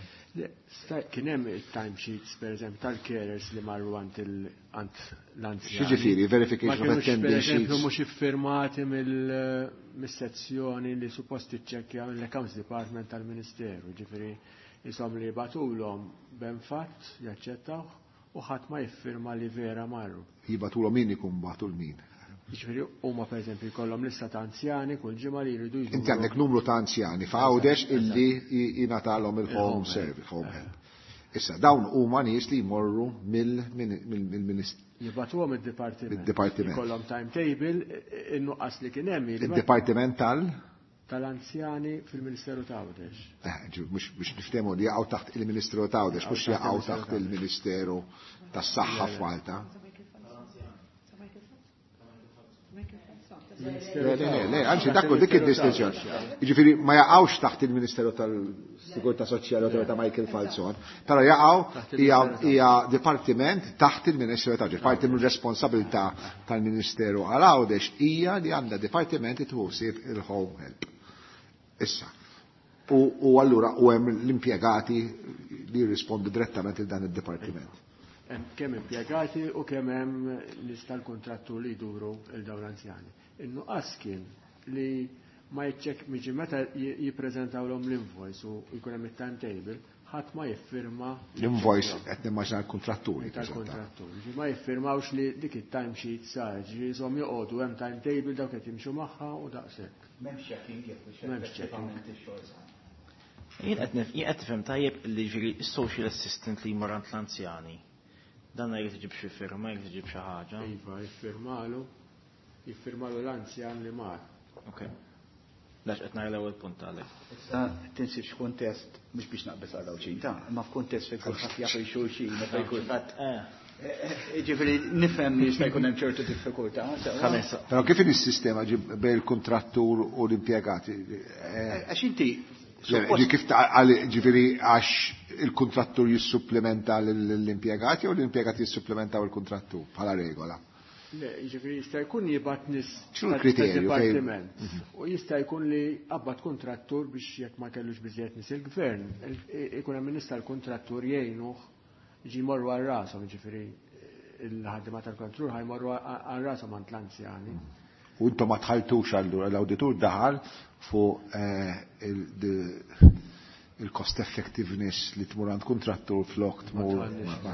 Kien hemm il-timesheets, per eżempju, tal-carers li marru għand l-anzjani. X'jiġifieri, verification of attendance Per eżempju, mhux iffirmati mill-sezzjoni li suppost tiċċekkja mill-Accounts Department tal-Ministeru. Ġifieri, jisom li jibagħtulhom ben fatt jaċċettawh u ħadd ma jiffirma li vera marru. Jibagħtulhom min ikun bagħtu l-min? Ġifieri huma per eżempju jkollhom lista ta' anzjani kull ġimgħa li jridu jżuru. Inti għandek numru ta' anzjani f'Għawdex illi jingħatalhom il-home service, home help. Issa dawn huma nies li jmorru mill-ministru. Jibagħtuhom id-dipartiment. Id-dipartiment. Jkollhom timetable, in-nuqqas li kien hemm. Id-dipartiment tal? Tal-anzjani fil-Ministeru ta' Għawdex. Eh, mhux niftehmu li jaqgħu taħt il-Ministeru ta' Għawdex, mhux jaqgħu taħt il-Ministeru tas-Saħħa f'Malta. Le, le, le, anzi, dakku dik id-distinzjoni. Jiġifieri ma jaqgħux taħt il-Ministeru tal-Sigurtà Soċjali u ta' Michael Falzon, però jaqgħu hija dipartiment taħt il-Ministeru ta' Parti mir-responsabilità tal-Ministeru għal Għawdex hija li għandha dipartiment tħossib il-home help. Issa. U allura u hemm l-impjegati li jirrispondu direttament il dan id-dipartiment. Kemm impjegati u kemm hemm lista l-kontrattur li jduru il dawn l-anzjani. In-nuqqas kien li ma jċek miġi meta jippreżentawlhom l-invoice u jkun hemm it-timetable, ħadd ma jiffirma. L-invoice qed nimmaġina l-kontratturi. Tal-kontratturi. Ma jiffirmawx li dik it-timesheet sar, ġifieri jisom joqogħdu hemm timetable, dawk qed jimxu magħha u daqshekk. M'hemmx checking jekk M'hemmx checking. Jien qed jien qed tifhem tajjeb li ġifieri social assistant li jmur għand l-anzjani. Dan jrid iġib xi firma, jrid iġib xi ħaġa. Iva, jiffirmalu, jiffirmalu l-anzjan li mar. Ok. Dax qed nara l-ewwel punt għalek. Issa tinsibx kuntest mhux biex naqbes għal xejn ta' imma f'kuntest fejn kulħadd jaf xulxin, fejn kulħadd Eh. Ġifieri nifhem li jista' jkun hemm ċertu diffikultà. Però kif is-sistema ġib bejn il-kontrattur u l-impjegati? Għax inti Ġi kif ġifieri għax il-kontrattur jissupplementa l-impjegati u l-impjegati jissupplementaw il-kontrattur bħala regola? Le, ġifieri jista' jkun jibgħat nies X'inhu l-kriterju fejn- dipartiment. U jista' jkun li qabad kontrattur biex jekk ma kellux biżejjed nies il-gvern, ikun hemm nies tal-kontrattur jgħinuh ġi jmorru għal rashom, ġifieri il-ħaddiema tal-kontrattur ħa jmorru għal rashom għand l-anzjani. U intom ma tħaltux allura, l-awditur daħal fuq eh, il-cost effectiveness li tmur għand kontrattur flok tmur ma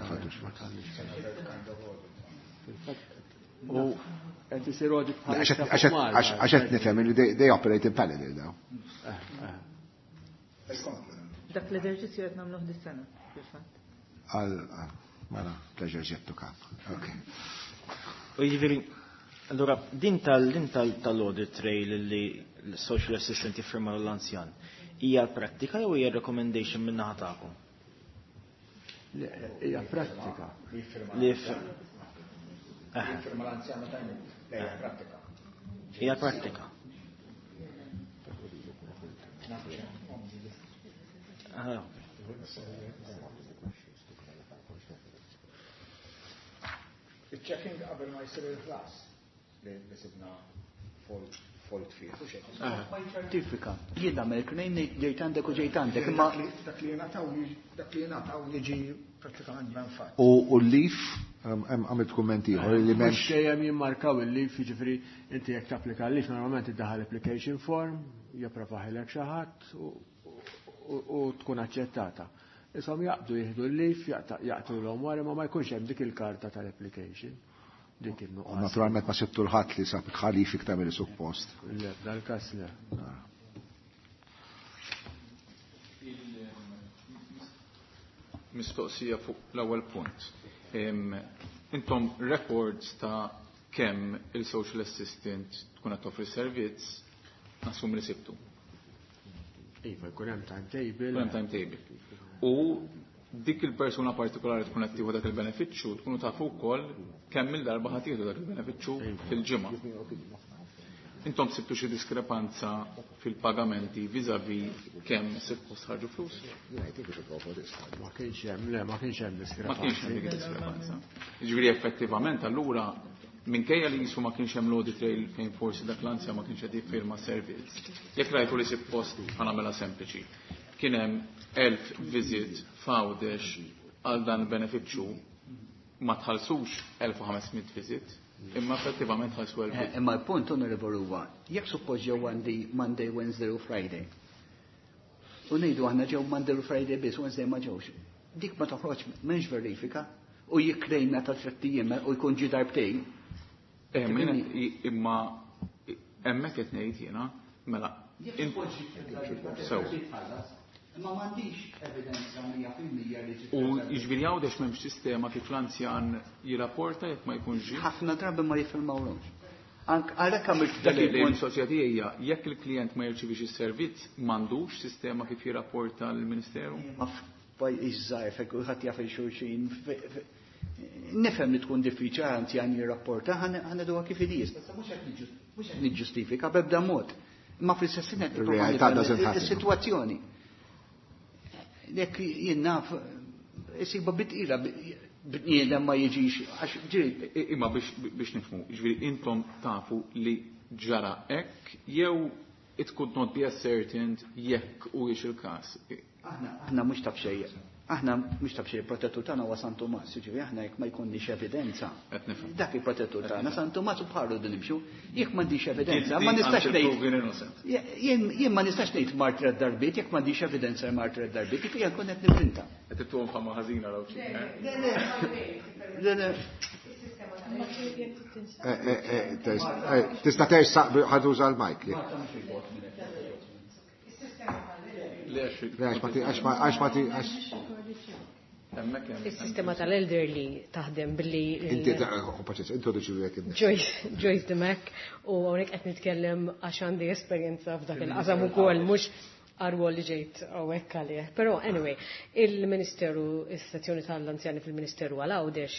tħaltux. Fil-fatt U qed isir audit bħalissa fuq Malta. Għax qed nifhem li they operate in parallel now. Dak l-eżerċizzju qed nagħmluh dis-sena, fil-fatt. Għal, mela, pleasure yet to come. Okay. U jiġifieri, allura din tal din tal-audit trail li l-social assistant jiffirma l-anzjan, hija l-prattika jew hija recommendation minn naħa tagħkom? Hija prattika. Li jiffirma l-anzjan meta jmut. Le, hija prattika. Hija prattika. Ah, Il-checking qabel ma jsir il-ħlas li sibna fault fih. Ma ċertifika. Jien nagħmel claim ġejt għandek u ġejt għandek, imma dak li jingħataw dak li jingħataw jiġi prattikament ben fatt. U l-leave hemm għamilt kumment ieħor li m'hemmx. Mhux dejjem jimmarkaw il-leave, jiġifieri inti jekk tapplika l-leave normalment iddaħħal application form, japprovaħilek xi ħadd u tkun aċċettata. Isom jaqbdu jieħdu l-leave, jaqtulhom wara ma ma jkunx hemm dik il-karta tal-application. Dik il-nuqqas. Naturalment ma sibtu l-ħadd li sab ħalif iktar milli suppost. Le, dal-każ le. Mistoqsija fuq l-ewwel punt. Intom records ta' kemm il-social assistant tkun qed toffri servizz nassum li sibtu. Iva, jkun hemm timetable. Jkun hemm timetable. U dik il-persuna partikolari tkun qed tieħu dak il-benefiċċju, tkunu tafu wkoll kemm il-darba ħadd tieħdu dak il-benefiċċju fil-ġimgħa. Intom sibtu xi diskrepanza fil-pagamenti vis-à-vis kemm suppost ħarġu flus? Ma kienx hemm, le, ma kienx hemm diskrepanza. Ma kienx hemm dik diskrepanza. Jiġifieri effettivament allura minkejja li jisu ma kienx hemm l-audit trail fejn forsi dak l-anzja ma kienx qed jiffirma servizz. Jekk rajtu li suppost ħanamela sempliċi. Kien hemm elf visit f'Għawdex għal dan il-benefiċċju ma tħallsux elf u ħames mitt visit, imma effettivament ħallsu elf. Eh, imma l-punt onorevoli huwa, jekk suppost ġew għandi Monday, Wednesday u Friday. U ngħidu aħna ġew Monday u Friday biss, Wednesday ma ġewx. Dik ma toħroġ m'hemmx verifika u jikklejna ta' tliet ijiem u jkun ġi darbtejn. Eh, imma hemmhekk qed ngħid jiena, mela. Sew. Ma m'għandix evidenza mija fil-mija li ġiet. U jiġifieri Għawdex m'hemmx sistema kif l-anzjan jirrapporta jekk ma jkunx ġie? Ħafna drabi ma jiffirmawlhomx. Ank għalhekk għamilt dak Le, le, il-punt. Il-mistoqsija tiegħi hija jekk il-klient ma jirċivix is-servizz m'għandux sistema kif jirrapporta lill-Ministeru? Ma f'pajjiż żgħir fejn kulħadd jaf il-xulxin, nifhem li tkun diffiċli anzjan jirrapporta, ħaneduha kif idis. Mhux qed niġġustifika b'ebda mod. Imma fl-istess ħin qed nipprova Ir-realtà nifhem doesn't happen. is-sitwazzjoni. Jekk jien naf, isiba bitqila bniedem ma jiġix, għax ġiri. Imma biex, biex nifhmu, jiġifieri intom tafu li ġara hekk jew it could not be ascertained jekk huwiex il-każ. Aħna, aħna mhux taf xejn. Aħna mhux taf xejn, il-protettur tagħna huwa San Tumas, jiġifieri aħna jekk ma jkunniex evidenza. Qed nifhem. Dak il-protettur tagħna San Tumas u bħalu din nimxu. Jekk m'għandix evidenza, Guilty ma nistax until ngħid. proven innocent. Jien, jien ma nistax ngħid mar tliet darbiet, jekk m'għandix evidenza mar tliet darbiet, kif jien kont qed nivvinta. Qed tittuhom fama ħażina raw xi. Le, le, le, le. Eh, eh, eh, eh, tista' tersaq ħaduża l-mic. Le, għax ma ti, għax ma, għax ma ti, għax. Is-sistema tal-elderly taħdem billi il- Inti, oh, paċenza, introduċi lilek innifsek. Joyce, Joyce Dimech, u hawnhekk qed nitkellem għax għandi esperjenza f'dak il-qasam ukoll, mhux għarwol li ġejt hawnhekk għalih. Però anyway, il-Ministeru, is-sezzjoni tal-anzjani fil-Ministeru għal Għawdex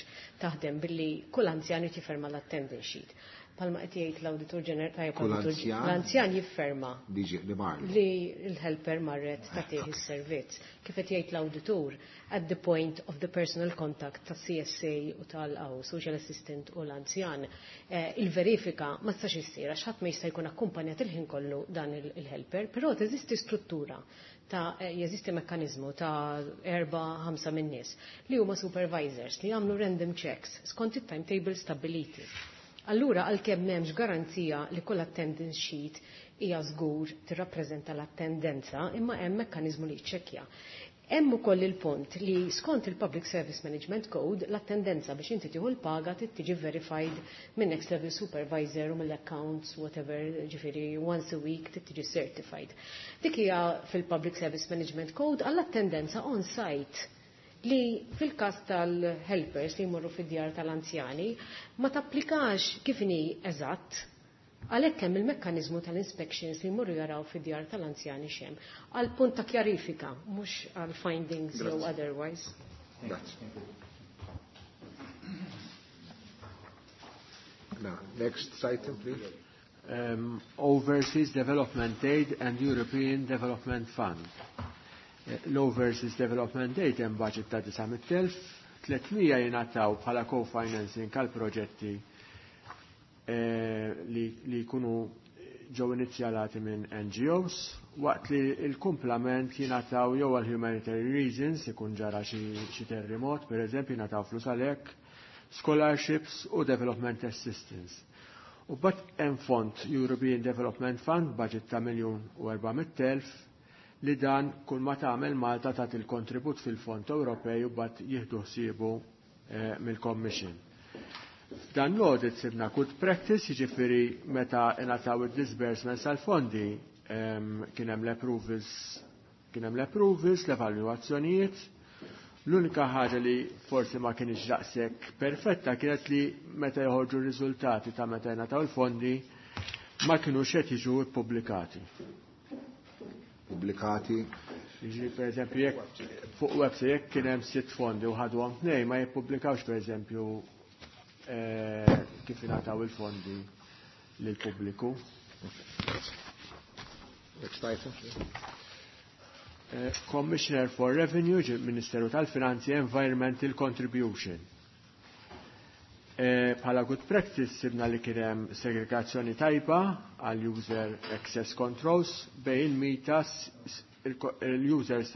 taħdem billi kull anzjan irid jifferma l-attendance sheet. Palma qed jgħid l-Awditur Ġenerali, tajjeb, Kull l-Awditur anzjan? L-anzjan jifferma Li ġi, li marru. li l-helper marret tagħtih is-servizz. Kif qed jgħid l-awditur, at the point of the personal contact ta' C S A u tal-aw, social assistant u l-anzjan, eh, il-verifika ma tistax issir għax ħadd ma jista' jkun akkumpanjat il-ħin kollu dan il-, il-helper, però teżisti struttura ta' eh, jeżisti mekkaniżmu ta' erba' ħamsa minn nies li huma supervisors li jagħmlu random checks skont it-timetable stabbiliti. Allura, għalkemm m'hemmx garanzija li kull attendance sheet hija żgur tirrappreżenta l-attendenza, imma hemm mekkaniżmu li jiċċekkja. Hemm ukoll il-punt li skont il-Public Service Management Code l-attendenza biex inti tieħu l-paga trid tiġi verified minn next level supervisor u mill-accounts, whatever, ġifieri once a week trid tiġi certified. Dik hija fil-Public Service Management Code għall-attendenza on site li fil-każ tal-helpers li jmorru fid-djar tal-anzjani ma tapplikax kif inhi eżatt. Għalhekk hemm il-mekkaniżmu tal-inspections li jmorru jaraw fid-djar tal-anzjani x'hemm. Għal punt ta' kjarifika, mhux għal findings jew otherwise. Grazie. Now, next item, please. Um, Overseas Development Aid and European Development Fund. L-Overseas Development Aid hemm budget ta' disa' mitt elf, tliet mija jingħataw bħala co-financing għal proġetti li, li jkunu ġew inizjalati minn N G Os, waqt li l-kumplament jingħataw jew għal humanitarian reasons, ikun ġara xi terremot, per eżempju, jingħataw flus għalhekk, scholarships u development assistance. U mbagħad hemm fond European Development Fund, budget ta' miljun u erba' mitt elf, li dan kull ma tagħmel Malta tagħti il-kontribut fil-Fond Ewropej u mbagħad jieħdu ħsiebu eh, mill-Commission. F'dan l-audit sibna good practice, jiġifieri meta ingħataw id-disbursements għal-fondi kien hemm l-approvals, kien hemm l-approvals, l-evalwazzjonijiet. L-unika ħaġa li forsi ma kienx daqshekk perfetta kienet li meta joħorġu r-riżultati ta' meta ingħataw il-fondi ma kinux qed jiġu ppubblikati. Pubblikati? Jiġri, per eżempju, jekk fuq website jekk kien hemm sitt fondi u ħadhom tnejn, ma jippubblikawx, per eżempju, eh, kif ingħataw il-fondi lill-pubbliku. Next item. Eh, Commissioner for Revenue, Ministeru tal-Finanzi, Environmental Contribution. Eh, bħala good practice sibna li kien hemm segregazzjoni tajba għal user access controls bejn il-mitas il-users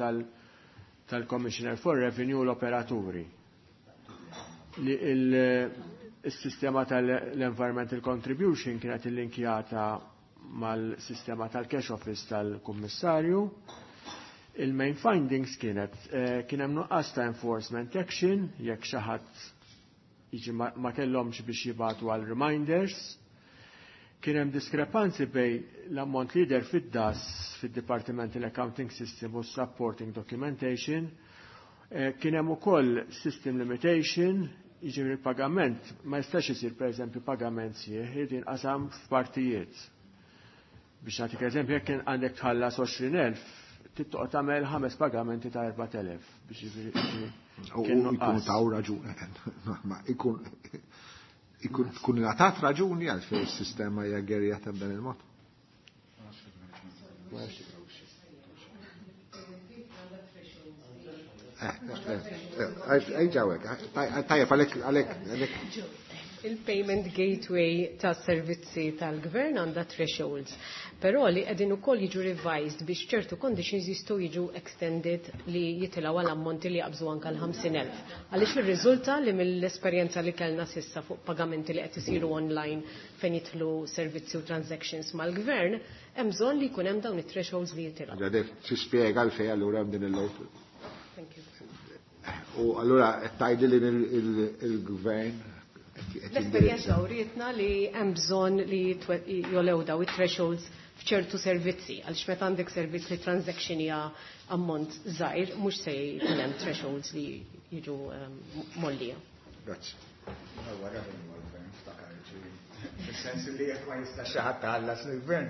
tal-Commissioner for Revenue u l-operaturi. Li il-sistema tal-Environmental Contribution kienet illinkjata mal-sistema tal-Cash Office tal-Kummissarju. Il-main findings kienet eh, kien hemm nuqqas ta' enforcement action jekk xi ħadd jiġi ma kellhomx biex jibatu għal reminders. Kien hemm diskrepanzi bejn l-ammont li jidher fid-D A S, fid-Departmental Accounting System u Supporting Documentation. Eh, kien hemm ukoll system limitation, jiġifieri pagament ma jistax isir, pereżempju, pagament sħiħ, irid jinqasam f'partijiet. Biex nagħtik eżempju, jekk għandek tħallas għoxrin elf, trid tagħmel ħames pagamenti ta' erbat elef biex jiġifieri U jkun taw raġuni, ma ikun ikun tkun ingħatat raġuni għal fejn is-sistema hija gerjata b'dan il-mod. Ejġawek, tajjeb għalek, għalek, għalek. Il-payment gateway ta' servizzi tal-gvern għandha thresholds, però li qegħdin ukoll jiġu revised biex ċertu conditions jistgħu jiġu extended li jitilgħu għal ammonti li jaqbżu anke l-ħamsin elf. Għaliex irriżulta li mill-esperjenza li kellna s'issa fuq pagamenti li qed isiru online fejn jidħlu servizzi u transactions mal-gvern, hemm bżonn li jkun hemm dawn it-thresholds li jitilgħu. Għadek tispjega għalfejn allura hemm din il-lot. Thank you. U allura qed tgħidli li il-gvern L-esperjenza urietna li hemm bżonn li jolew daw it-thresholds f'ċertu servizzi, għaliex meta għandek servizz li transaction hija ammont żgħir, mhux se jkun hemm thresholds li jiġu ehm, mollija. Grazzi. Fis-sens li jekk ma jistax xi ħadd tħallas lill-gvern.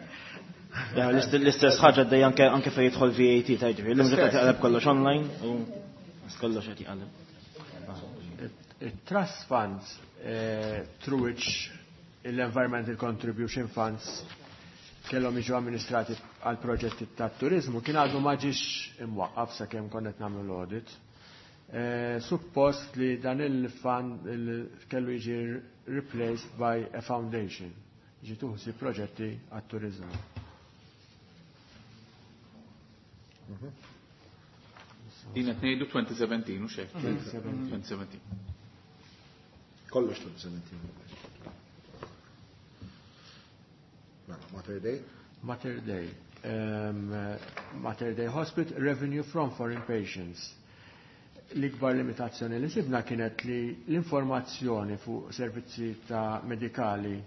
L-istess ħaġa għaddej anke anke fejn jidħol V A T ta' ġifieri, l-lum qed jaqleb kollox online u kollox qed jaqleb. Trust funds eh, through which l-Environmental Contribution Funds kellhom jiġu amministrati għal proġetti ta' turizmu kien għadu ma ġiex imwaqqaf sakemm konna qed nagħmlu l-audit. Eh, suppost li dan il-fund kellu jiġi replaced by a foundation, jiġi tuħsi proġetti għat turizmu. Mhm. Din qed ngħidu twenty seventeen u xejn. twenty seventeen. Kollox twenty seventeen. Mela, Mater Dei? Mater Dei. um, Mater Dei Hospital, revenue from foreign patients. L-ikbar limitazzjoni li sibna kienet li l-informazzjoni fuq servizzi ta' medikali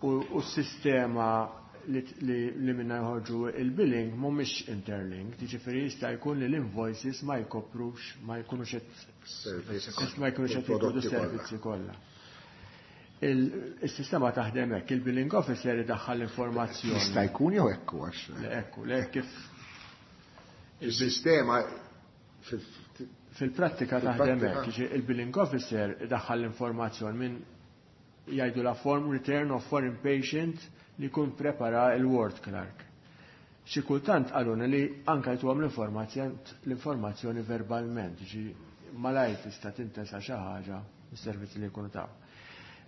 u, u s-sistema li, li, li minna jħorġu il-billing mhumiex interlinked, jiġifieri jista' jkun li l-invoices ma jkoprux, ma jkunux qed ma jkunux qed jkunu servizzi kollha. Il-sistema taħdem hekk, il-billing officer idaħħal l-informazzjoni. Jista' jkun jew hekk għax. Le ekku, le kif Il-sistema fil-prattika taħdem hekk, il-billing officer idaħħal l-informazzjoni minn jgħidu la form return of foreign patient li jkun prepara il-ward clerk. Xi kultant qaluna li anka jtuhom l-informazzjoni verbalment, ġi malajr tista' tintesa xi ħaġa mis-servizzi li jkunu taw.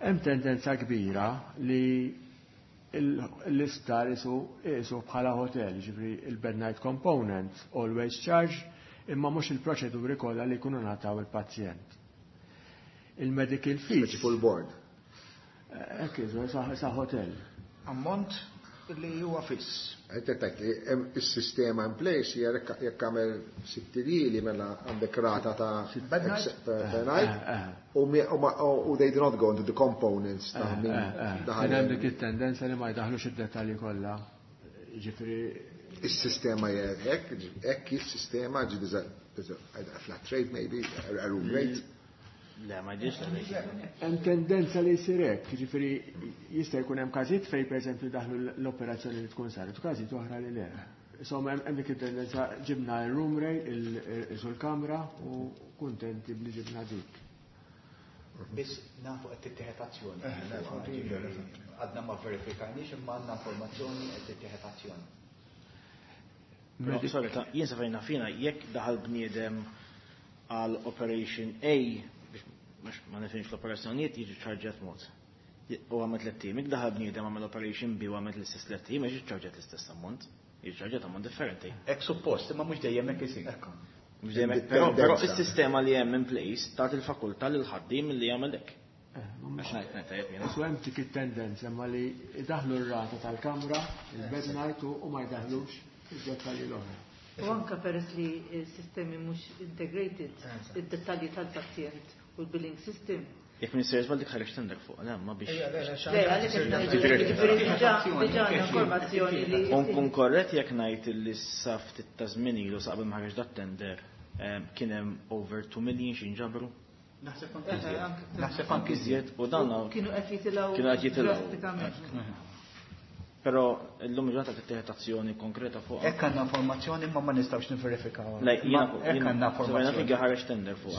Hemm tendenza kbira li l-isptar isu isu bħala hotel, ġifri il-bed night component always charge, imma mhux il-proċeduri kollha li jkunu ngħataw il-pazjent. Il-medical fees. Full board. Hekk isu sa hotel. Ammont li huwa fiss. Għajt tajt li il-sistema in place jekk għamel sitt iljieli mela għandek rata ta' Bed night? per night u u they do not go into the components ta' min daħal. Hemm dik it-tendenza li ma jdaħlux id-dettalji kollha. Ġifieri Is-sistema hekk, hekk is-sistema ġi flat rate maybe, a room rate. Le, ma ġiex Hemm tendenza li jsir hekk, jiġifieri jista' jkun hemm każijiet fejn pereżempju daħlu l-operazzjoni li tkun saret, u każijiet oħra li le. Insomma hemm dik it-tendenza ġibna r-room rate, il-kamra u kuntenti bli ġibna dik. Biss nafu qed tittieħed azzjoni. Għadna ma verifikajniex imma għandna informazzjoni qed tittieħed azzjoni. Sorry, jien sa fejna fina jekk daħal bniedem għal Operation A biex ma nifhimx l-operazzjonijiet jiġi ċarġat mod. U għamet l-tim, jekk daħal bniedem għamel Operation B u għamet l-istess l-tim, jiġi ċarġat l-istess ammont. Jiġi ċarġat ammont differenti. Hekk suppost, imma mhux dejjem hekk isir. Mhux dejjem hekk, però però is-sistema li hemm in place tagħti il-fakultà lil ħaddiem li jagħmel hekk. Għax ngħid ngħid tajjeb jiena. Su hemm dik it-tendenza imma li jdaħlu r-rata tal-kamra, il-bed night u ma jdaħlux id-dettalji l-oħra. U anka peress li s-sistemi mhux integrated, id-dettalji tal-pazjent u l-billing system. Jekk minn serious dik ħareġ tender fuq, le, ma biex. Le, għalhekk ġifieri diġà diġà informazzjoni li. U nkun korrett jekk ngħid li sa ftit ta' żmien ilu sa qabel ma ħareġ dat tender kien hemm over two million xi nġabru. Naħseb anke iżjed. Naħseb anke iżjed. U dan Kienu qed jitilgħu kienu qed jitilgħu. drastikament. Però llum il-ġurnata tittieħed azzjoni konkreta fuq. Hekk għandna informazzjoni imma ma nistgħux niverifikaw. Le, jiena Hekk għandna informazzjoni. informazzjoni. Ħareġ tender fuq.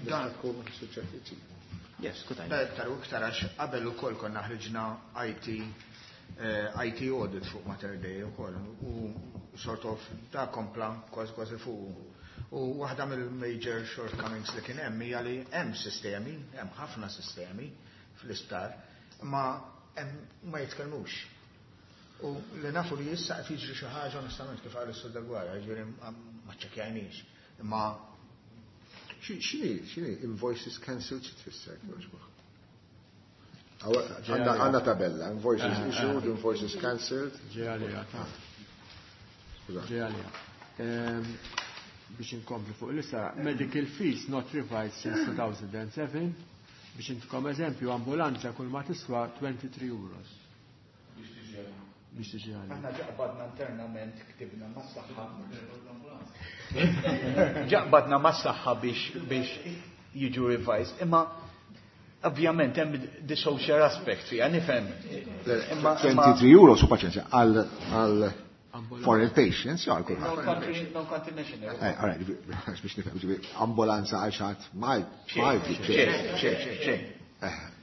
Dan tkun suġġett. Yes, kutajn. Iktar u iktar għax qabel ukoll konna ħriġna I T eh, I T audit fuq Mater Dei ukoll u sort of da kompla kważi kważi fuq. U waħda mill-major shortcomings li kien hemm hija li hemm sistemi, hemm ħafna sistemi fl-isptar, ma hemm ma jitkellmux. U li nafu li issa qed jiġri xi ħaġa onestament kif qal is-Sur Dagwara, jiġifieri ma ċċekkjajniex. Imma X'inhi x'inhi invoices cancelled, xi tfisser jogħġbok? Għandna tabella, invoices issued, invoices cancelled. Ġej għalija, ta' ġej għalija. Biex inkompli fuq l-issa, medical fees not revised since two thousand seven, biex intikom eżempju, ambulanza kull ma tiswa twenty-three euros. Biex tiġi għalija. Aħna ġaqbadna internament ktibna mas-saħħa. Ġaqbadna mas-saħħa biex biex jiġu revised. Imma ovvjament hemm the social aspect fiha, nifhem. Imma twenty-three euros u paċenzja għal għal foreign patients, jew għal kulħadd. Non-country non-country national. Eh, all right, biex nifhem, ġifieri ambulanza għal xi ħadd Malti, Malti, Xejn, xejn, xejn.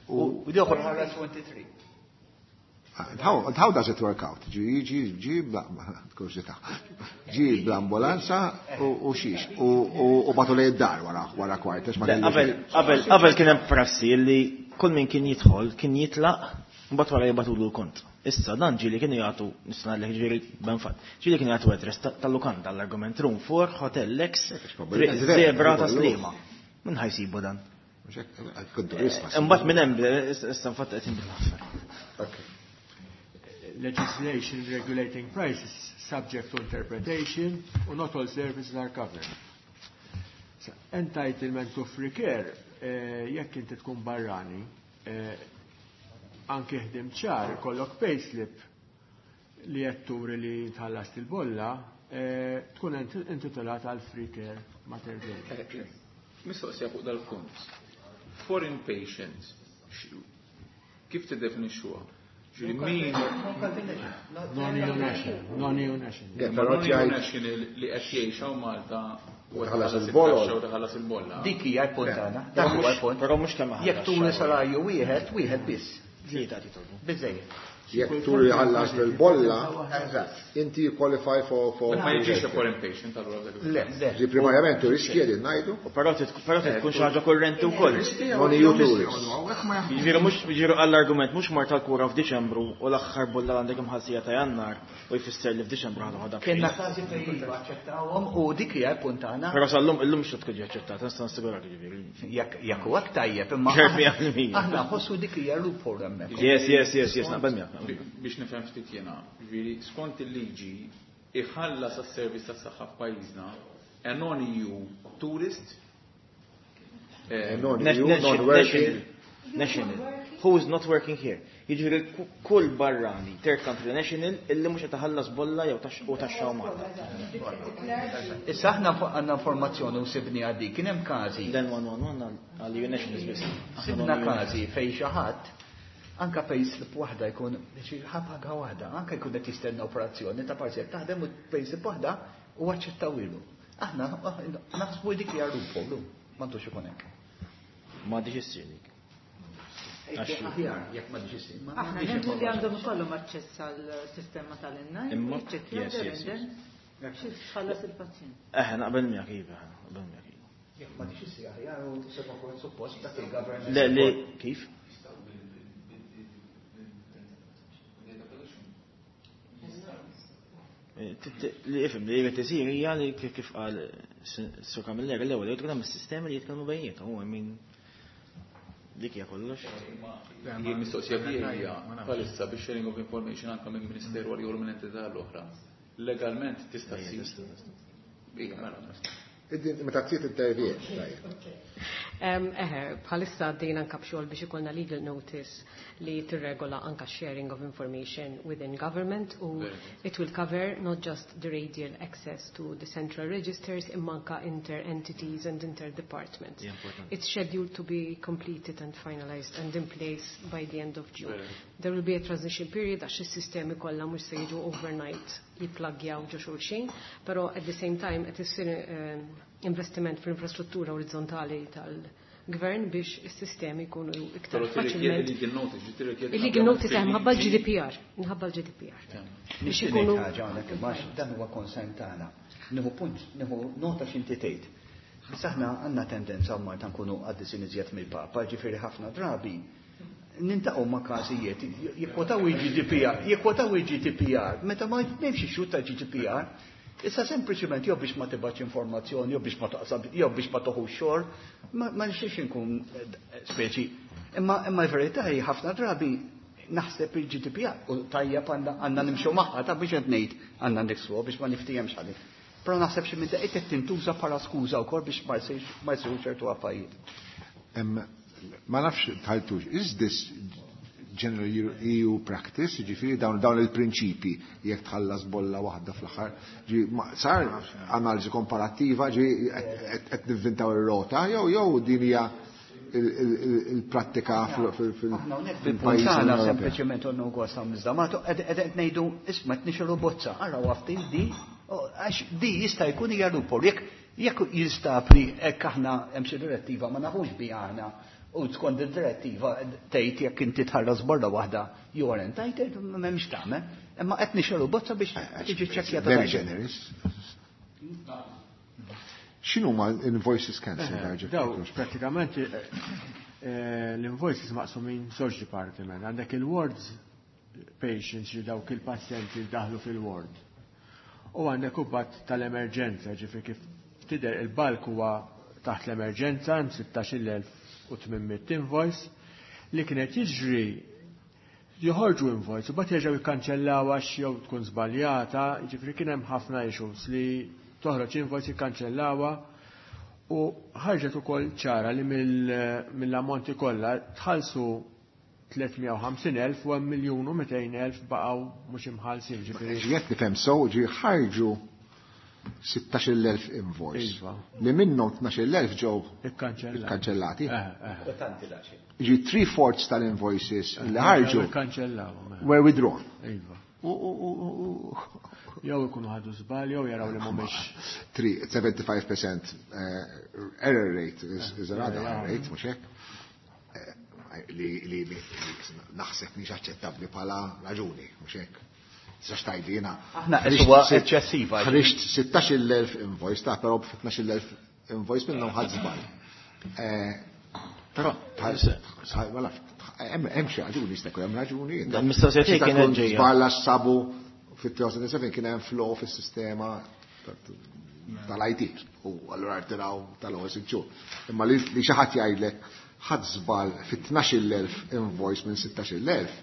U U dieħor ħares twenty-three. How, how does it work out? Ġi, ġi, ġi, bla, kurżità. Ġi bl-ambulanza u u xiex. U u bagħtu lejn id-dar wara wara kwart, għax ma Le, kellux- Qabel qabel qabel kien hemm prassi li kull min kien jidħol kien jitlaq mbagħad wara jibgħatulu l-kont. Issa dan ġieli kienu jagħtu nista' ngħidlek ġifieri ben fatt. Ġieli kienu jagħtu address ta- tal-lukanda l-argument room four Hotel Lex Probabilment Zebra ta' kollu. Sliema. Min ħa jsibu dan? Mhux hekk, kun turist ma Imbagħad minn hemm issa infatti qed inbidlu l-affarijiet. Ok. legislation regulating prices subject to interpretation u not all services are covered. Entitlement to free care, eh, jekk inti tkun barrani, eh, anke ħdim ċar, kollok payslip li qed turi li tħallast il-bolla, eh, tkun intitolat għal free care mater dei. Mistoqsija fuq dal-punt. Foreign patients, kif tiddefinixxuha? Ġifieri min Non-EU national, non-EU national. Non-EU national li qed jgħix hawn Malta u tħallas il-bolla. U tħallas il-bolla. Dik hija l-punt tagħna. Dak huwa l-punt. Però mhux kemm Jekk turi salarju wieħed, wieħed biss. Tlieta titolbu. Biżejjed. Jekk turi ħallas bil-bolla, inti qualify for for. Ma jiġix a foreign patient allura dak. Le, le. Ġi primarjament turisti qegħdin ngħidu. Però tkun xi ħaġa kurrenti wkoll. Non-EU tourist. Jiġifieri mhux jiġifieri għall-argument mhux mar tal-kura f'Diċembru u l-aħħar bolla għandek imħassija ta' Jannar u jfisser li f'Diċembru ħadu ħadha. Kienna każi fejn iva aċċettawhom u dik hija l-punt tagħna. Però sal-lum illum mhux tkun aċċettata, nista' nassigurak jiġifieri. Jekk jekk huwa tajjeb imma Ċert mija fil-mija. aħna nħossu dik hija loophole hemmhekk. Yes, yes, yes, yes, naqbel miegħek. Biex nifhem ftit jiena, ġifieri skont il-liġi iħallas għas-servizz tas-saħħa f'pajjiżna a non-EU tourist eh, Non-EU, non-working. National. Who is not working here. Jiġifieri kull barrani, third country national, illi mhux qed iħallas bolla jew u taxxa Malta. Issa aħna għandna informazzjoni u sibni għaddi, kien hemm każi. Then one one one għal EU nationals biss. Sibna każi fejn xi ħadd anka payslip waħda jkun ħabaga waħda, anka jkun qed jistenna operazzjoni ta' parsi taħdem u payslip waħda u aċċettawilu. Aħna naħsbu dik hija loophole, m'għandux ikun hekk. M'għandix issir dik. Aħjar, jekk m'għandix issir. Aħna nemmu li għandhom ikollhom aċċess għal-sistema tal-innaj, Imma, jiċċekkjaw yes, yes, there xi tħallas il-pazjent. Eħe, naqbel miegħek iva, naqbel miegħek iva. Jekk m'għandix issir aħjar u seba' kont suppost dak il-governance. Le, le, kif? Li ifhem li jrid isir hija li kif qal Sur Camilleri l-ewwel jrid hemm is-sistemi li jitkellmu bejniethom, u min dik hija kollox. Jien mistoqsija tiegħi hija bħalissa biex sharing of information anke minn ministeru għal jew minn entità l-oħra. Legalment tista' ssir. Iva, mela. Meta tsir intervjen, tajjeb. Eħe, bħalissa għaddejna anka b'xogħol biex ikollna legal notice li tirregola anka sharing of information within government u it will cover not just the radial access to the central registers imma anka inter-entities and inter-departments. It's scheduled to be completed and finalized and in place by the end of June. There will be a transition period għax is-sistemi kollha mhux se jiġu overnight jipplagjaw ġo xulxin, però at the same time qed issir investiment fl-infrastruttura orizzontali tal-gvern biex is-sistemi jkunu iktar faċilment. Il-legal notice, tirrikjedi. Il-legal notice hemm ħabba l-G D P R, minħabba l-G D P R. Biex ikunu ħaġa hawnhekk imma dan huwa konsent tagħna. Nieħu punt, nieħu nota x'inti tgħid. Biss aħna għandna tendenza Malta nkunu qaddisin iżjed mill-Papa, ġifieri ħafna drabi nintaqgħu ma' każijiet jikkwotaw il-G D P R, jikkwotaw il-G D P R, meta ma nifx ix-xhur tal-G D P R, issa sempliċiment jew biex ma tibgħatx informazzjoni, jew biex ma taqsab, jew biex ma toħux xogħol, ma nixtiex inkun speċi. Imma imma l-verità hi ħafna drabi naħseb il-G D P R u tajjeb għandna nimxu magħha ta' biex qed ngħid għandna niksbuha biex ma niftihemx ħalli. Però naħseb xi minn daqqiet qed tintuża bħala skuża wkoll biex ma jsirx ma jsirux ċertu affarijiet. Ma nafx tħaltux, is this general E U practice, ġifieri dawn, dawn il-prinċipi jekk tħallas bolla waħda fl-aħħar, ġifieri, ma, sar analiżi komparattiva, ġifieri qed, qed nivvintaw ir-rota, jew, jew din hija il-prattika Aħna hawnhekk fil-pajjiż fil-puntana Ewropew. sempliċement għandna wkoll sa miżdamatu, qed, qed ngħidu isma' qed nixru bozza, araw ftit di, għax di jista' jkun hija loophole. Jekk, jekk jinstab li hekk aħna hemm xi direttiva ma nafux bi aħna u skont id-direttiva tgħid jekk inti tħallas borra waħda you are entitled, m'hemmx tagħmel, imma qed nixru bozza biex tiġi ċċekkjata. Very generous. X'inhu ma invoices cancelled, Eh, Arġa? Daw, pratikament, eh, eh, l-invoices maqsumin żewġ dipartiment. Għandek il-wards patients li dawk il-pazjenti li daħlu fil-ward. U għandek ubat tal-emerġenza, ġifieri kif tidher il-balk huwa taħt l-emerġenza hemm sittax-il elf u tmien mitt invoice li kienet jiġri Joħorġu invoice u mbagħad jerġgħu jikkanċellaw għax jew tkun żbaljata, jiġifieri kien hemm ħafna issues li toħroġ invoice jikkanċellawha u ħarġet ukoll ċara li mill-ammonti kollha tħallsu tliet mija u ħamsin elf u hemm miljun u mitejn elf baqgħu mhux imħallsin, ġifieri. Ġiet nifhem sew, ġi ħarġu sittax-il elf invoice. Iva. Li minnhom tnax-il elf ġew ikkanċellati. Ikkanċellati. Ġi three fourths tal-invoices li ħarġu ikkanċellawhom. Were withdrawn. Iva. Jew ikunu ħadu żball jew jaraw li mhumiex. Three, seventy-five percent, eh, error rate is, is a rather high rate, mhux hekk? Li, li, li naħseb mhix aċċettabbli bħala raġuni, mhux hekk? Tistax tgħidli jiena Aħna ħriġt huwa sitt- eċċessiva. ħriġt sittax-il elf invoice, ta' però b'tnax-il elf invoice minnhom ħadd żball. Eh, Però, bħal, bħal, ma nafx, hemm, hemm xi raġuni, jista' jkun hemm raġuni. Dan mistoqsija tiegħi Jista' kienet jkun ġejja. żball għax sabu fit-two thousand and seven kien hemm flow fis-sistema tal-I T u allura rtiraw tal-ewwel sitt xhur. Imma li, li xi ħadd jgħidlek ħadd żball fit-tnax-il elf invoice minn sittax-il elf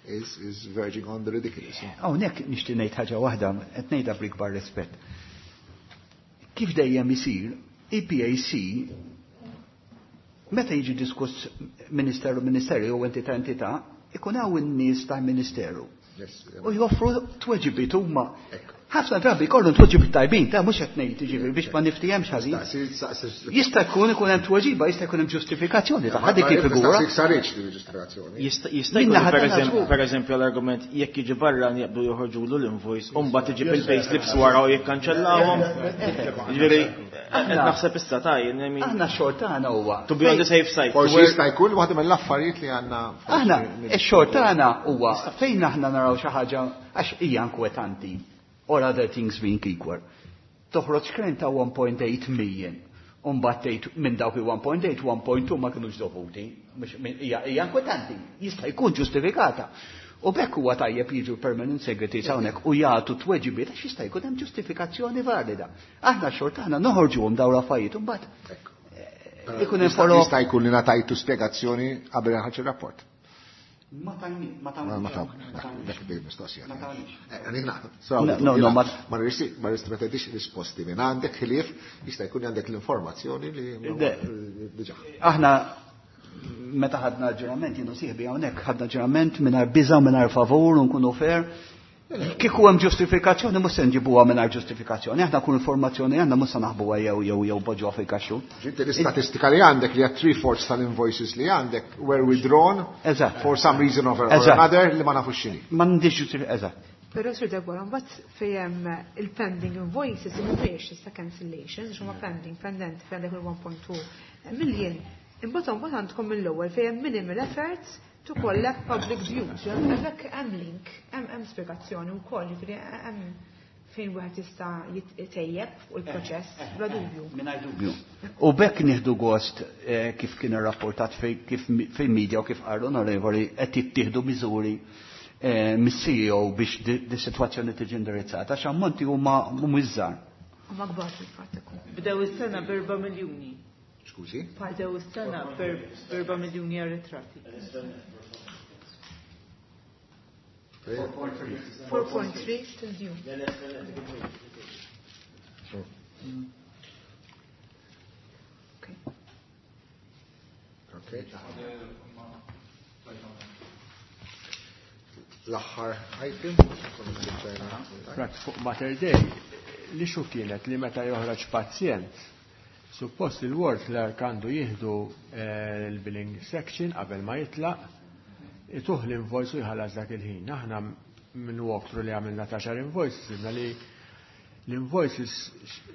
is, is verging on the ridiculous. Hawnhekk nixtieq ngħid ħaġa waħda, qed ngħidha bl-ikbar rispett. Kif dejjem isir, E P A C meta jiġi diskuss ministeru ministeru jew entità entità, ikun hawn in-nies tal-ministeru. Yes, U joffru tweġibiet huma. Ekku. Ħafna drabi jkollhom tweġibiet tajbin, ta' mhux qed ngħid jiġifieri biex ma niftihemx ħażin. Staqsi, staqsi. Jista' jkun ikun hemm tweġiba, jista' jkun hemm ġustifikazzjoni ta' dik Ma- ma- il-figura. Staqsi sarriċ din il-ġustifikazzjoni. Jista' jista' Minna jkun ħadd per eżempju, żgur. per eżempju l-argument jekk jiġi barra jaqbdu joħorġulu l-invoice u mbagħad iġib il-payslips wara u jikkanċellawhom. Jiġifieri, qed naħseb issa ta' jien, I mean, Aħna x-xogħol tagħna huwa to be on the safe side. Forsi jista' jkun waħda mill-affarijiet li għandna forsi Aħna nid- x-xogħol tagħna huwa fejn aħna naraw xi ħaġa għax hija inkwetanti. Or other things being equal. Toħroġ krem ta' one point eight million. U mbagħad tgħid minn dawk il one point eight, one point two ma kinux dovuti. Mhux min-, hija, hija inkwetanti, jista' jkun ġustifikata. U bekk huwa tajjeb jiġu permanent secretaries hawnhekk u jagħtu tweġibiet għax jista' jkun hemm ġustifikazzjoni valida. Aħna x-xogħol tagħna noħorġuhom dawn l-affarijiet u mbagħad Però ikun hemm jista' follow-up. jista' jkun li ngħatajtu spjegazzjoni qabel ħarġ ir-rapport. Ma tajni, ma tajni. Ma Ma tawni, tawni. dak dik mistoqsija. Ma tawni. Eh, għalina, so, No, no, no, ma- ma rrisi, ma rrisi, ma tgħidix risposti minn għandek ħlief, jista' jkun għandek l-informazzjoni li ma- De. diġà. Aħna meta ħadna ġurament, jienu sieħbi hawnhekk, ħadna ġurament mingħajr biża' mingħajr favur u nkunu fair. Kieku hemm ġustifikazzjoni mhux se nġibuha mingħajr ġustifikazzjoni, aħna kull informazzjoni għandna mhux se naħbuha jew jew jew poġġuha fil-kaxxun. Ġinti l-istatistika li għandek li għad three fourths tal-invoices li għandek were withdrawn Eżatt. for some reason or Eżatt. another li ma nafux x'inhi. M'għandix ġustifikazzjoni, eżatt. Però Sir Deborah, mbagħad fejn hemm il-pending invoices mhumiex issa cancellations, għax huma pending, pendent fejn għandek il-one point two million. Imbagħad mbagħad għandkom mill-ewwel fejn hemm minimal efforts to collect public dues. Hemmhekk hemm link, hemm hemm spjegazzjoni wkoll, jiġifieri hemm fejn wieħed jista' jitejjeb fuq il-proċess bla dubju. Mingħajr dubju. U bekk nieħdu gost, eh, kif kien irrapportat fej-, kif mi-, fil-media u kif qal l-onorevoli qed jittieħdu miżuri, eh, mis-C E O biex di, di sitwazzjoni tiġi indirizzata, għax ammonti huma mhumiex żgħar. Huma kbar fil-fatt ikun. Bdew is-sena b'erba' miljuni. Skużi? Bdew is-sena b'erba' miljuni arretrati. four point three still due. Okay. Okay. L-aħħar item. Rat fuq Mater Dei, li xu kienet li meta joħroġ pazjent, suppost il-ward clerk għandu jieħdu, eh, l-billing section qabel ma jitlaq, ituh l-invoice u jħallas dak il-ħin. Aħna minn walkthrough li għamilna ta' xar invoices, sibna li l-invoices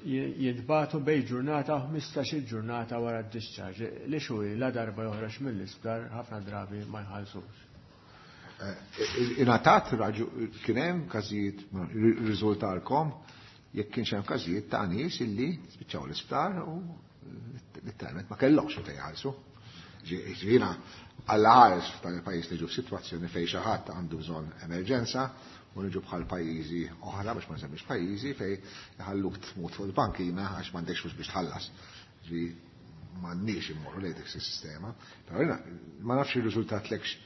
jintbagħtu bej ġurnata u ħmistax-il ġurnata wara d-discharge. Li xu la darba joħroġ mill-isptar ħafna drabi ma jħallsux. Eh, ingħatat raġu kien hemm każijiet, riżultalkom jekk kienx hemm każijiet ta' nies illi spiċċaw l-isptar u letteralment ma kellhomx meta jħallsu. Ġiena għall ħares f'dan il-pajjiż niġu f'sitwazzjoni fejn xi ħadd għandu bżonn emerġenza u niġu bħal pajjiżi oħra biex ma nsemmix pajjiżi fejn iħalluk tmut fuq il-bankina għax m'għandekx flus biex tħallas. Ġi m'għandniex immorru lejn dik is-sistema. Però jiena ma nafx ir-riżultat lekx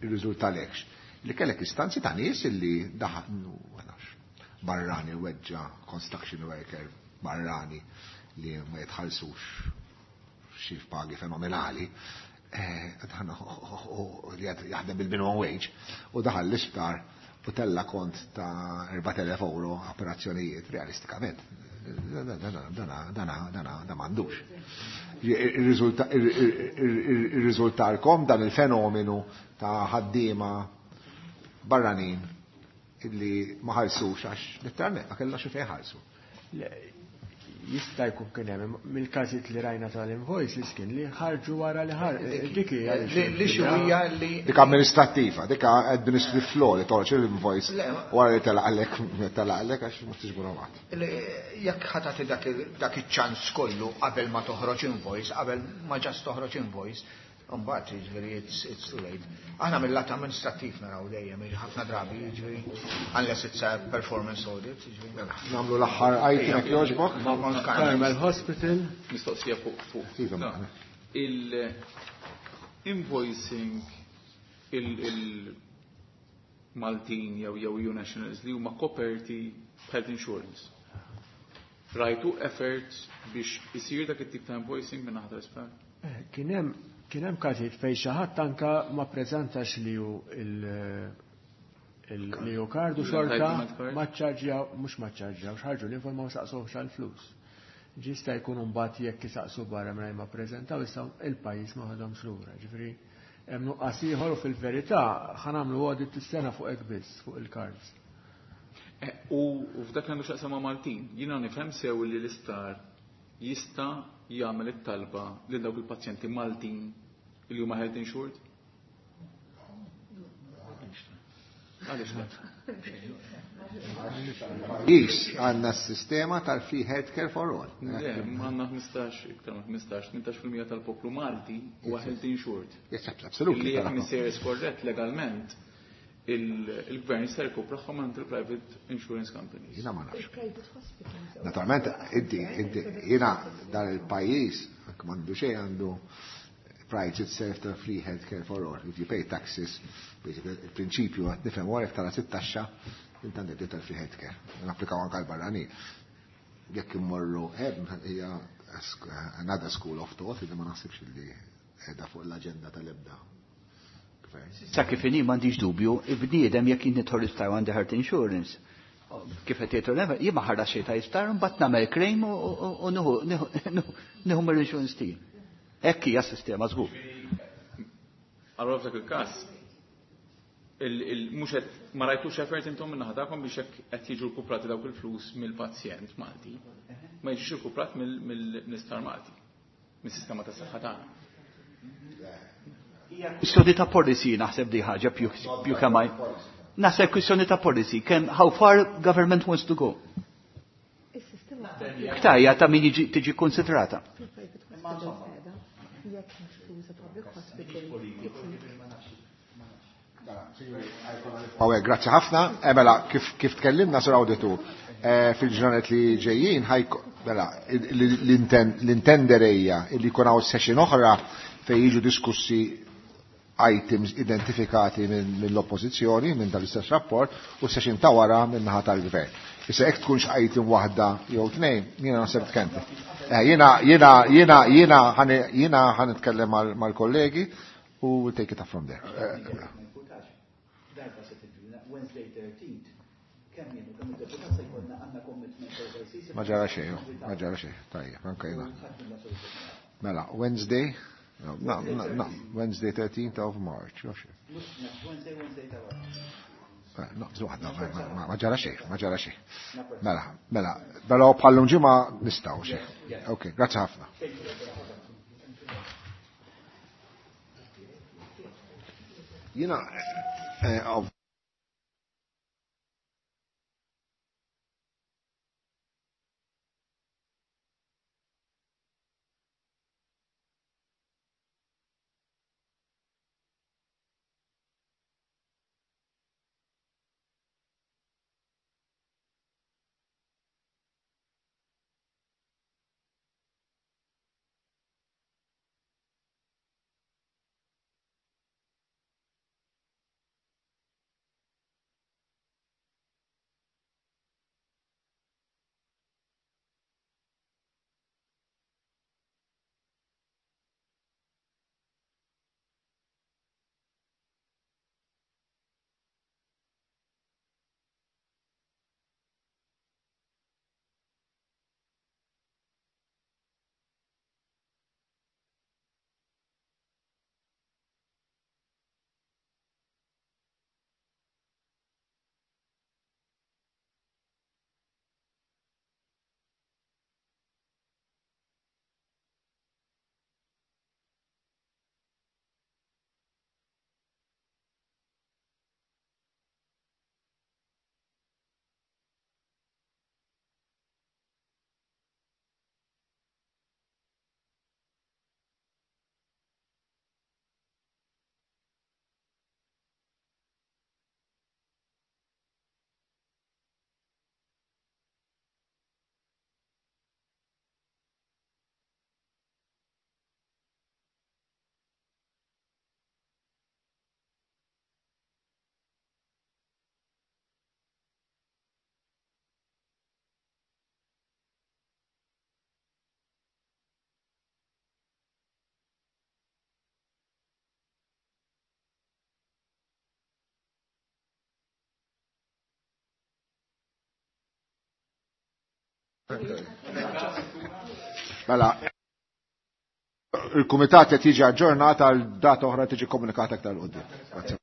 irriżultalekx li kellek istanzi ta' nies illi daħnu barrani weġġa construction worker barrani li ma jitħallsux xi pagi fenomenali, li jaħdem bil-minimum wage u daħal l-isptar u tella kont ta' erbat elef euro operazzjonijiet realistikament. Dana dana da m'għandux. Irriżultalkom dan il-fenomenu ta' ħaddiema barranin illi ma ħallsux għax letteralment ma kellha xi fejn ħallsu. Jista' jkun kien hemm mill-każijiet li rajna tal-invoices kien li ħarġu wara li ħar. Dik hija Li hija li dik amministrattiva, dik administrative law li toħroġ l-invoice wara li telaqlek telaqlek għax ma tiġbru mat. Jekk ħa tagħti dak iċ-ċans kollu qabel ma toħroġ invoice, qabel ma ġast toħroġ invoice, mbagħad jiġifieri it's too late. Aħna mill-lat amministrattiv naraw dejjem ħafna drabi jiġifieri unless it's a performance audit, jiġifieri. Nagħmlu l-aħħar item jekk jogħġbok. Carmel Hospital. Mistoqsija fuq fuq. Il-invoicing il-Maltin jew jew E U nationals li huma koperti b'health insurance. Rajtu effort biex isir dak it-tip ta' invoicing minn naħa tal-isptar? Kien hemm Kien hemm każijiet fejn xi ħadd anke ma ppreżentax li hu li hu kardu xorta ma ċċarġjaw, mhux ma ċċarġjaw, x'ħarġu l-informa u saqsuhx għall-flus. Ġista jkun mbagħad jekk isaqsu barra mingħajr ma ppreżentaw issa il-pajjiż ma ħadhomx lura. Ġifieri hemm nuqqas ieħor u fil-verità ħa nagħmlu audit is-sena fuq hekk biss, fuq il-cards. U f'dak li għandu x'jaqsam ma' Maltin, jiena nifhem sew li l-isptar jista' jagħmel it-talba lil dawk il-pazjenti Maltin li huma health insured? Għaliex le? Is għandna s-sistema tal-free healthcare for all. Le, għandna ħmistax, iktar minn ħmistax, tmintax fil-mija tal-poplu Malti huwa health insured. Yes, absolutely. Li jekk misejjer skorrett legalment, il-gvern jista' jkopraħħom għand il-private insurance companies. Jiena ma nafx. Naturalment, inti, inti, jiena dan il-pajjiż, anke m'għandu xejn għandu prides itself ta' free healthcare for all. If you pay taxes, basically, il-prinċipju għad nifhem wara jekk tara sitt taxxa, inti għandek dritt tal-free healthcare. Napplikaw anke l-barranin. Jekk immorru hemm hija another school of thought li ma naħsibx li qiegħda fuq l-aġenda tal-ebda. Sa kif inhi m'għandix dubju, il-bniedem jekk jien nidħol isptar għandi health insurance, kif qed jgħidu l jien ma ħarrax xejn ta' isptar, mbagħad nagħmel claim u nieħu mill-insurance tiegħi. Hekk hija s-sistema żgur. Allora f'dak il-każ, mhux qed ma rajtux effort intom minn naħa tagħkom biex hekk qed jiġu rkuprati dawk il-flus mill-pazjent Malti, ma jiġux rkuprat mill-isptar Malti, mis-sistema tas-saħħa tagħna. Kwistjoni ta' policy naħseb di ħaġa più kemm Naħseb kwistjoni ta' policy, kemm how far government wants to go. Ktajja ta' min tiġi konsidrata. Awek, grazzi ħafna. Mela, kif tkellimna sur awditur, fil-ġranet li ġejjin, mela, l-intenderejja li jkun hawn session oħra fejn jiġu diskussi items identifikati mill-oppożizzjoni minn dal-istess rapport u session ta' wara minn naħa tal-gvern. Issa jekk tkunx item waħda jew tnejn, jiena naħseb tkenti. Jiena, jiena, jiena, jiena jiena ħa nitkellem mal-kollegi u we'll take it up from there. Ma ġara xejn, ma ġara xejn, tajjeb, anke jiena. Mela, Wednesday, no, no, no, no, Wednesday thirteenth of March, jo xejn. No, waħda, ma ġara xejn, ma ġara xejn. Mela, mela, però bħallum ġimgħa nistgħu xejn. Ok, grazzi ħafna. Jiena, Mela, il-kumitat qed jiġi aġġornat għal data oħra tiġi komunikata aktar 'l quddiem.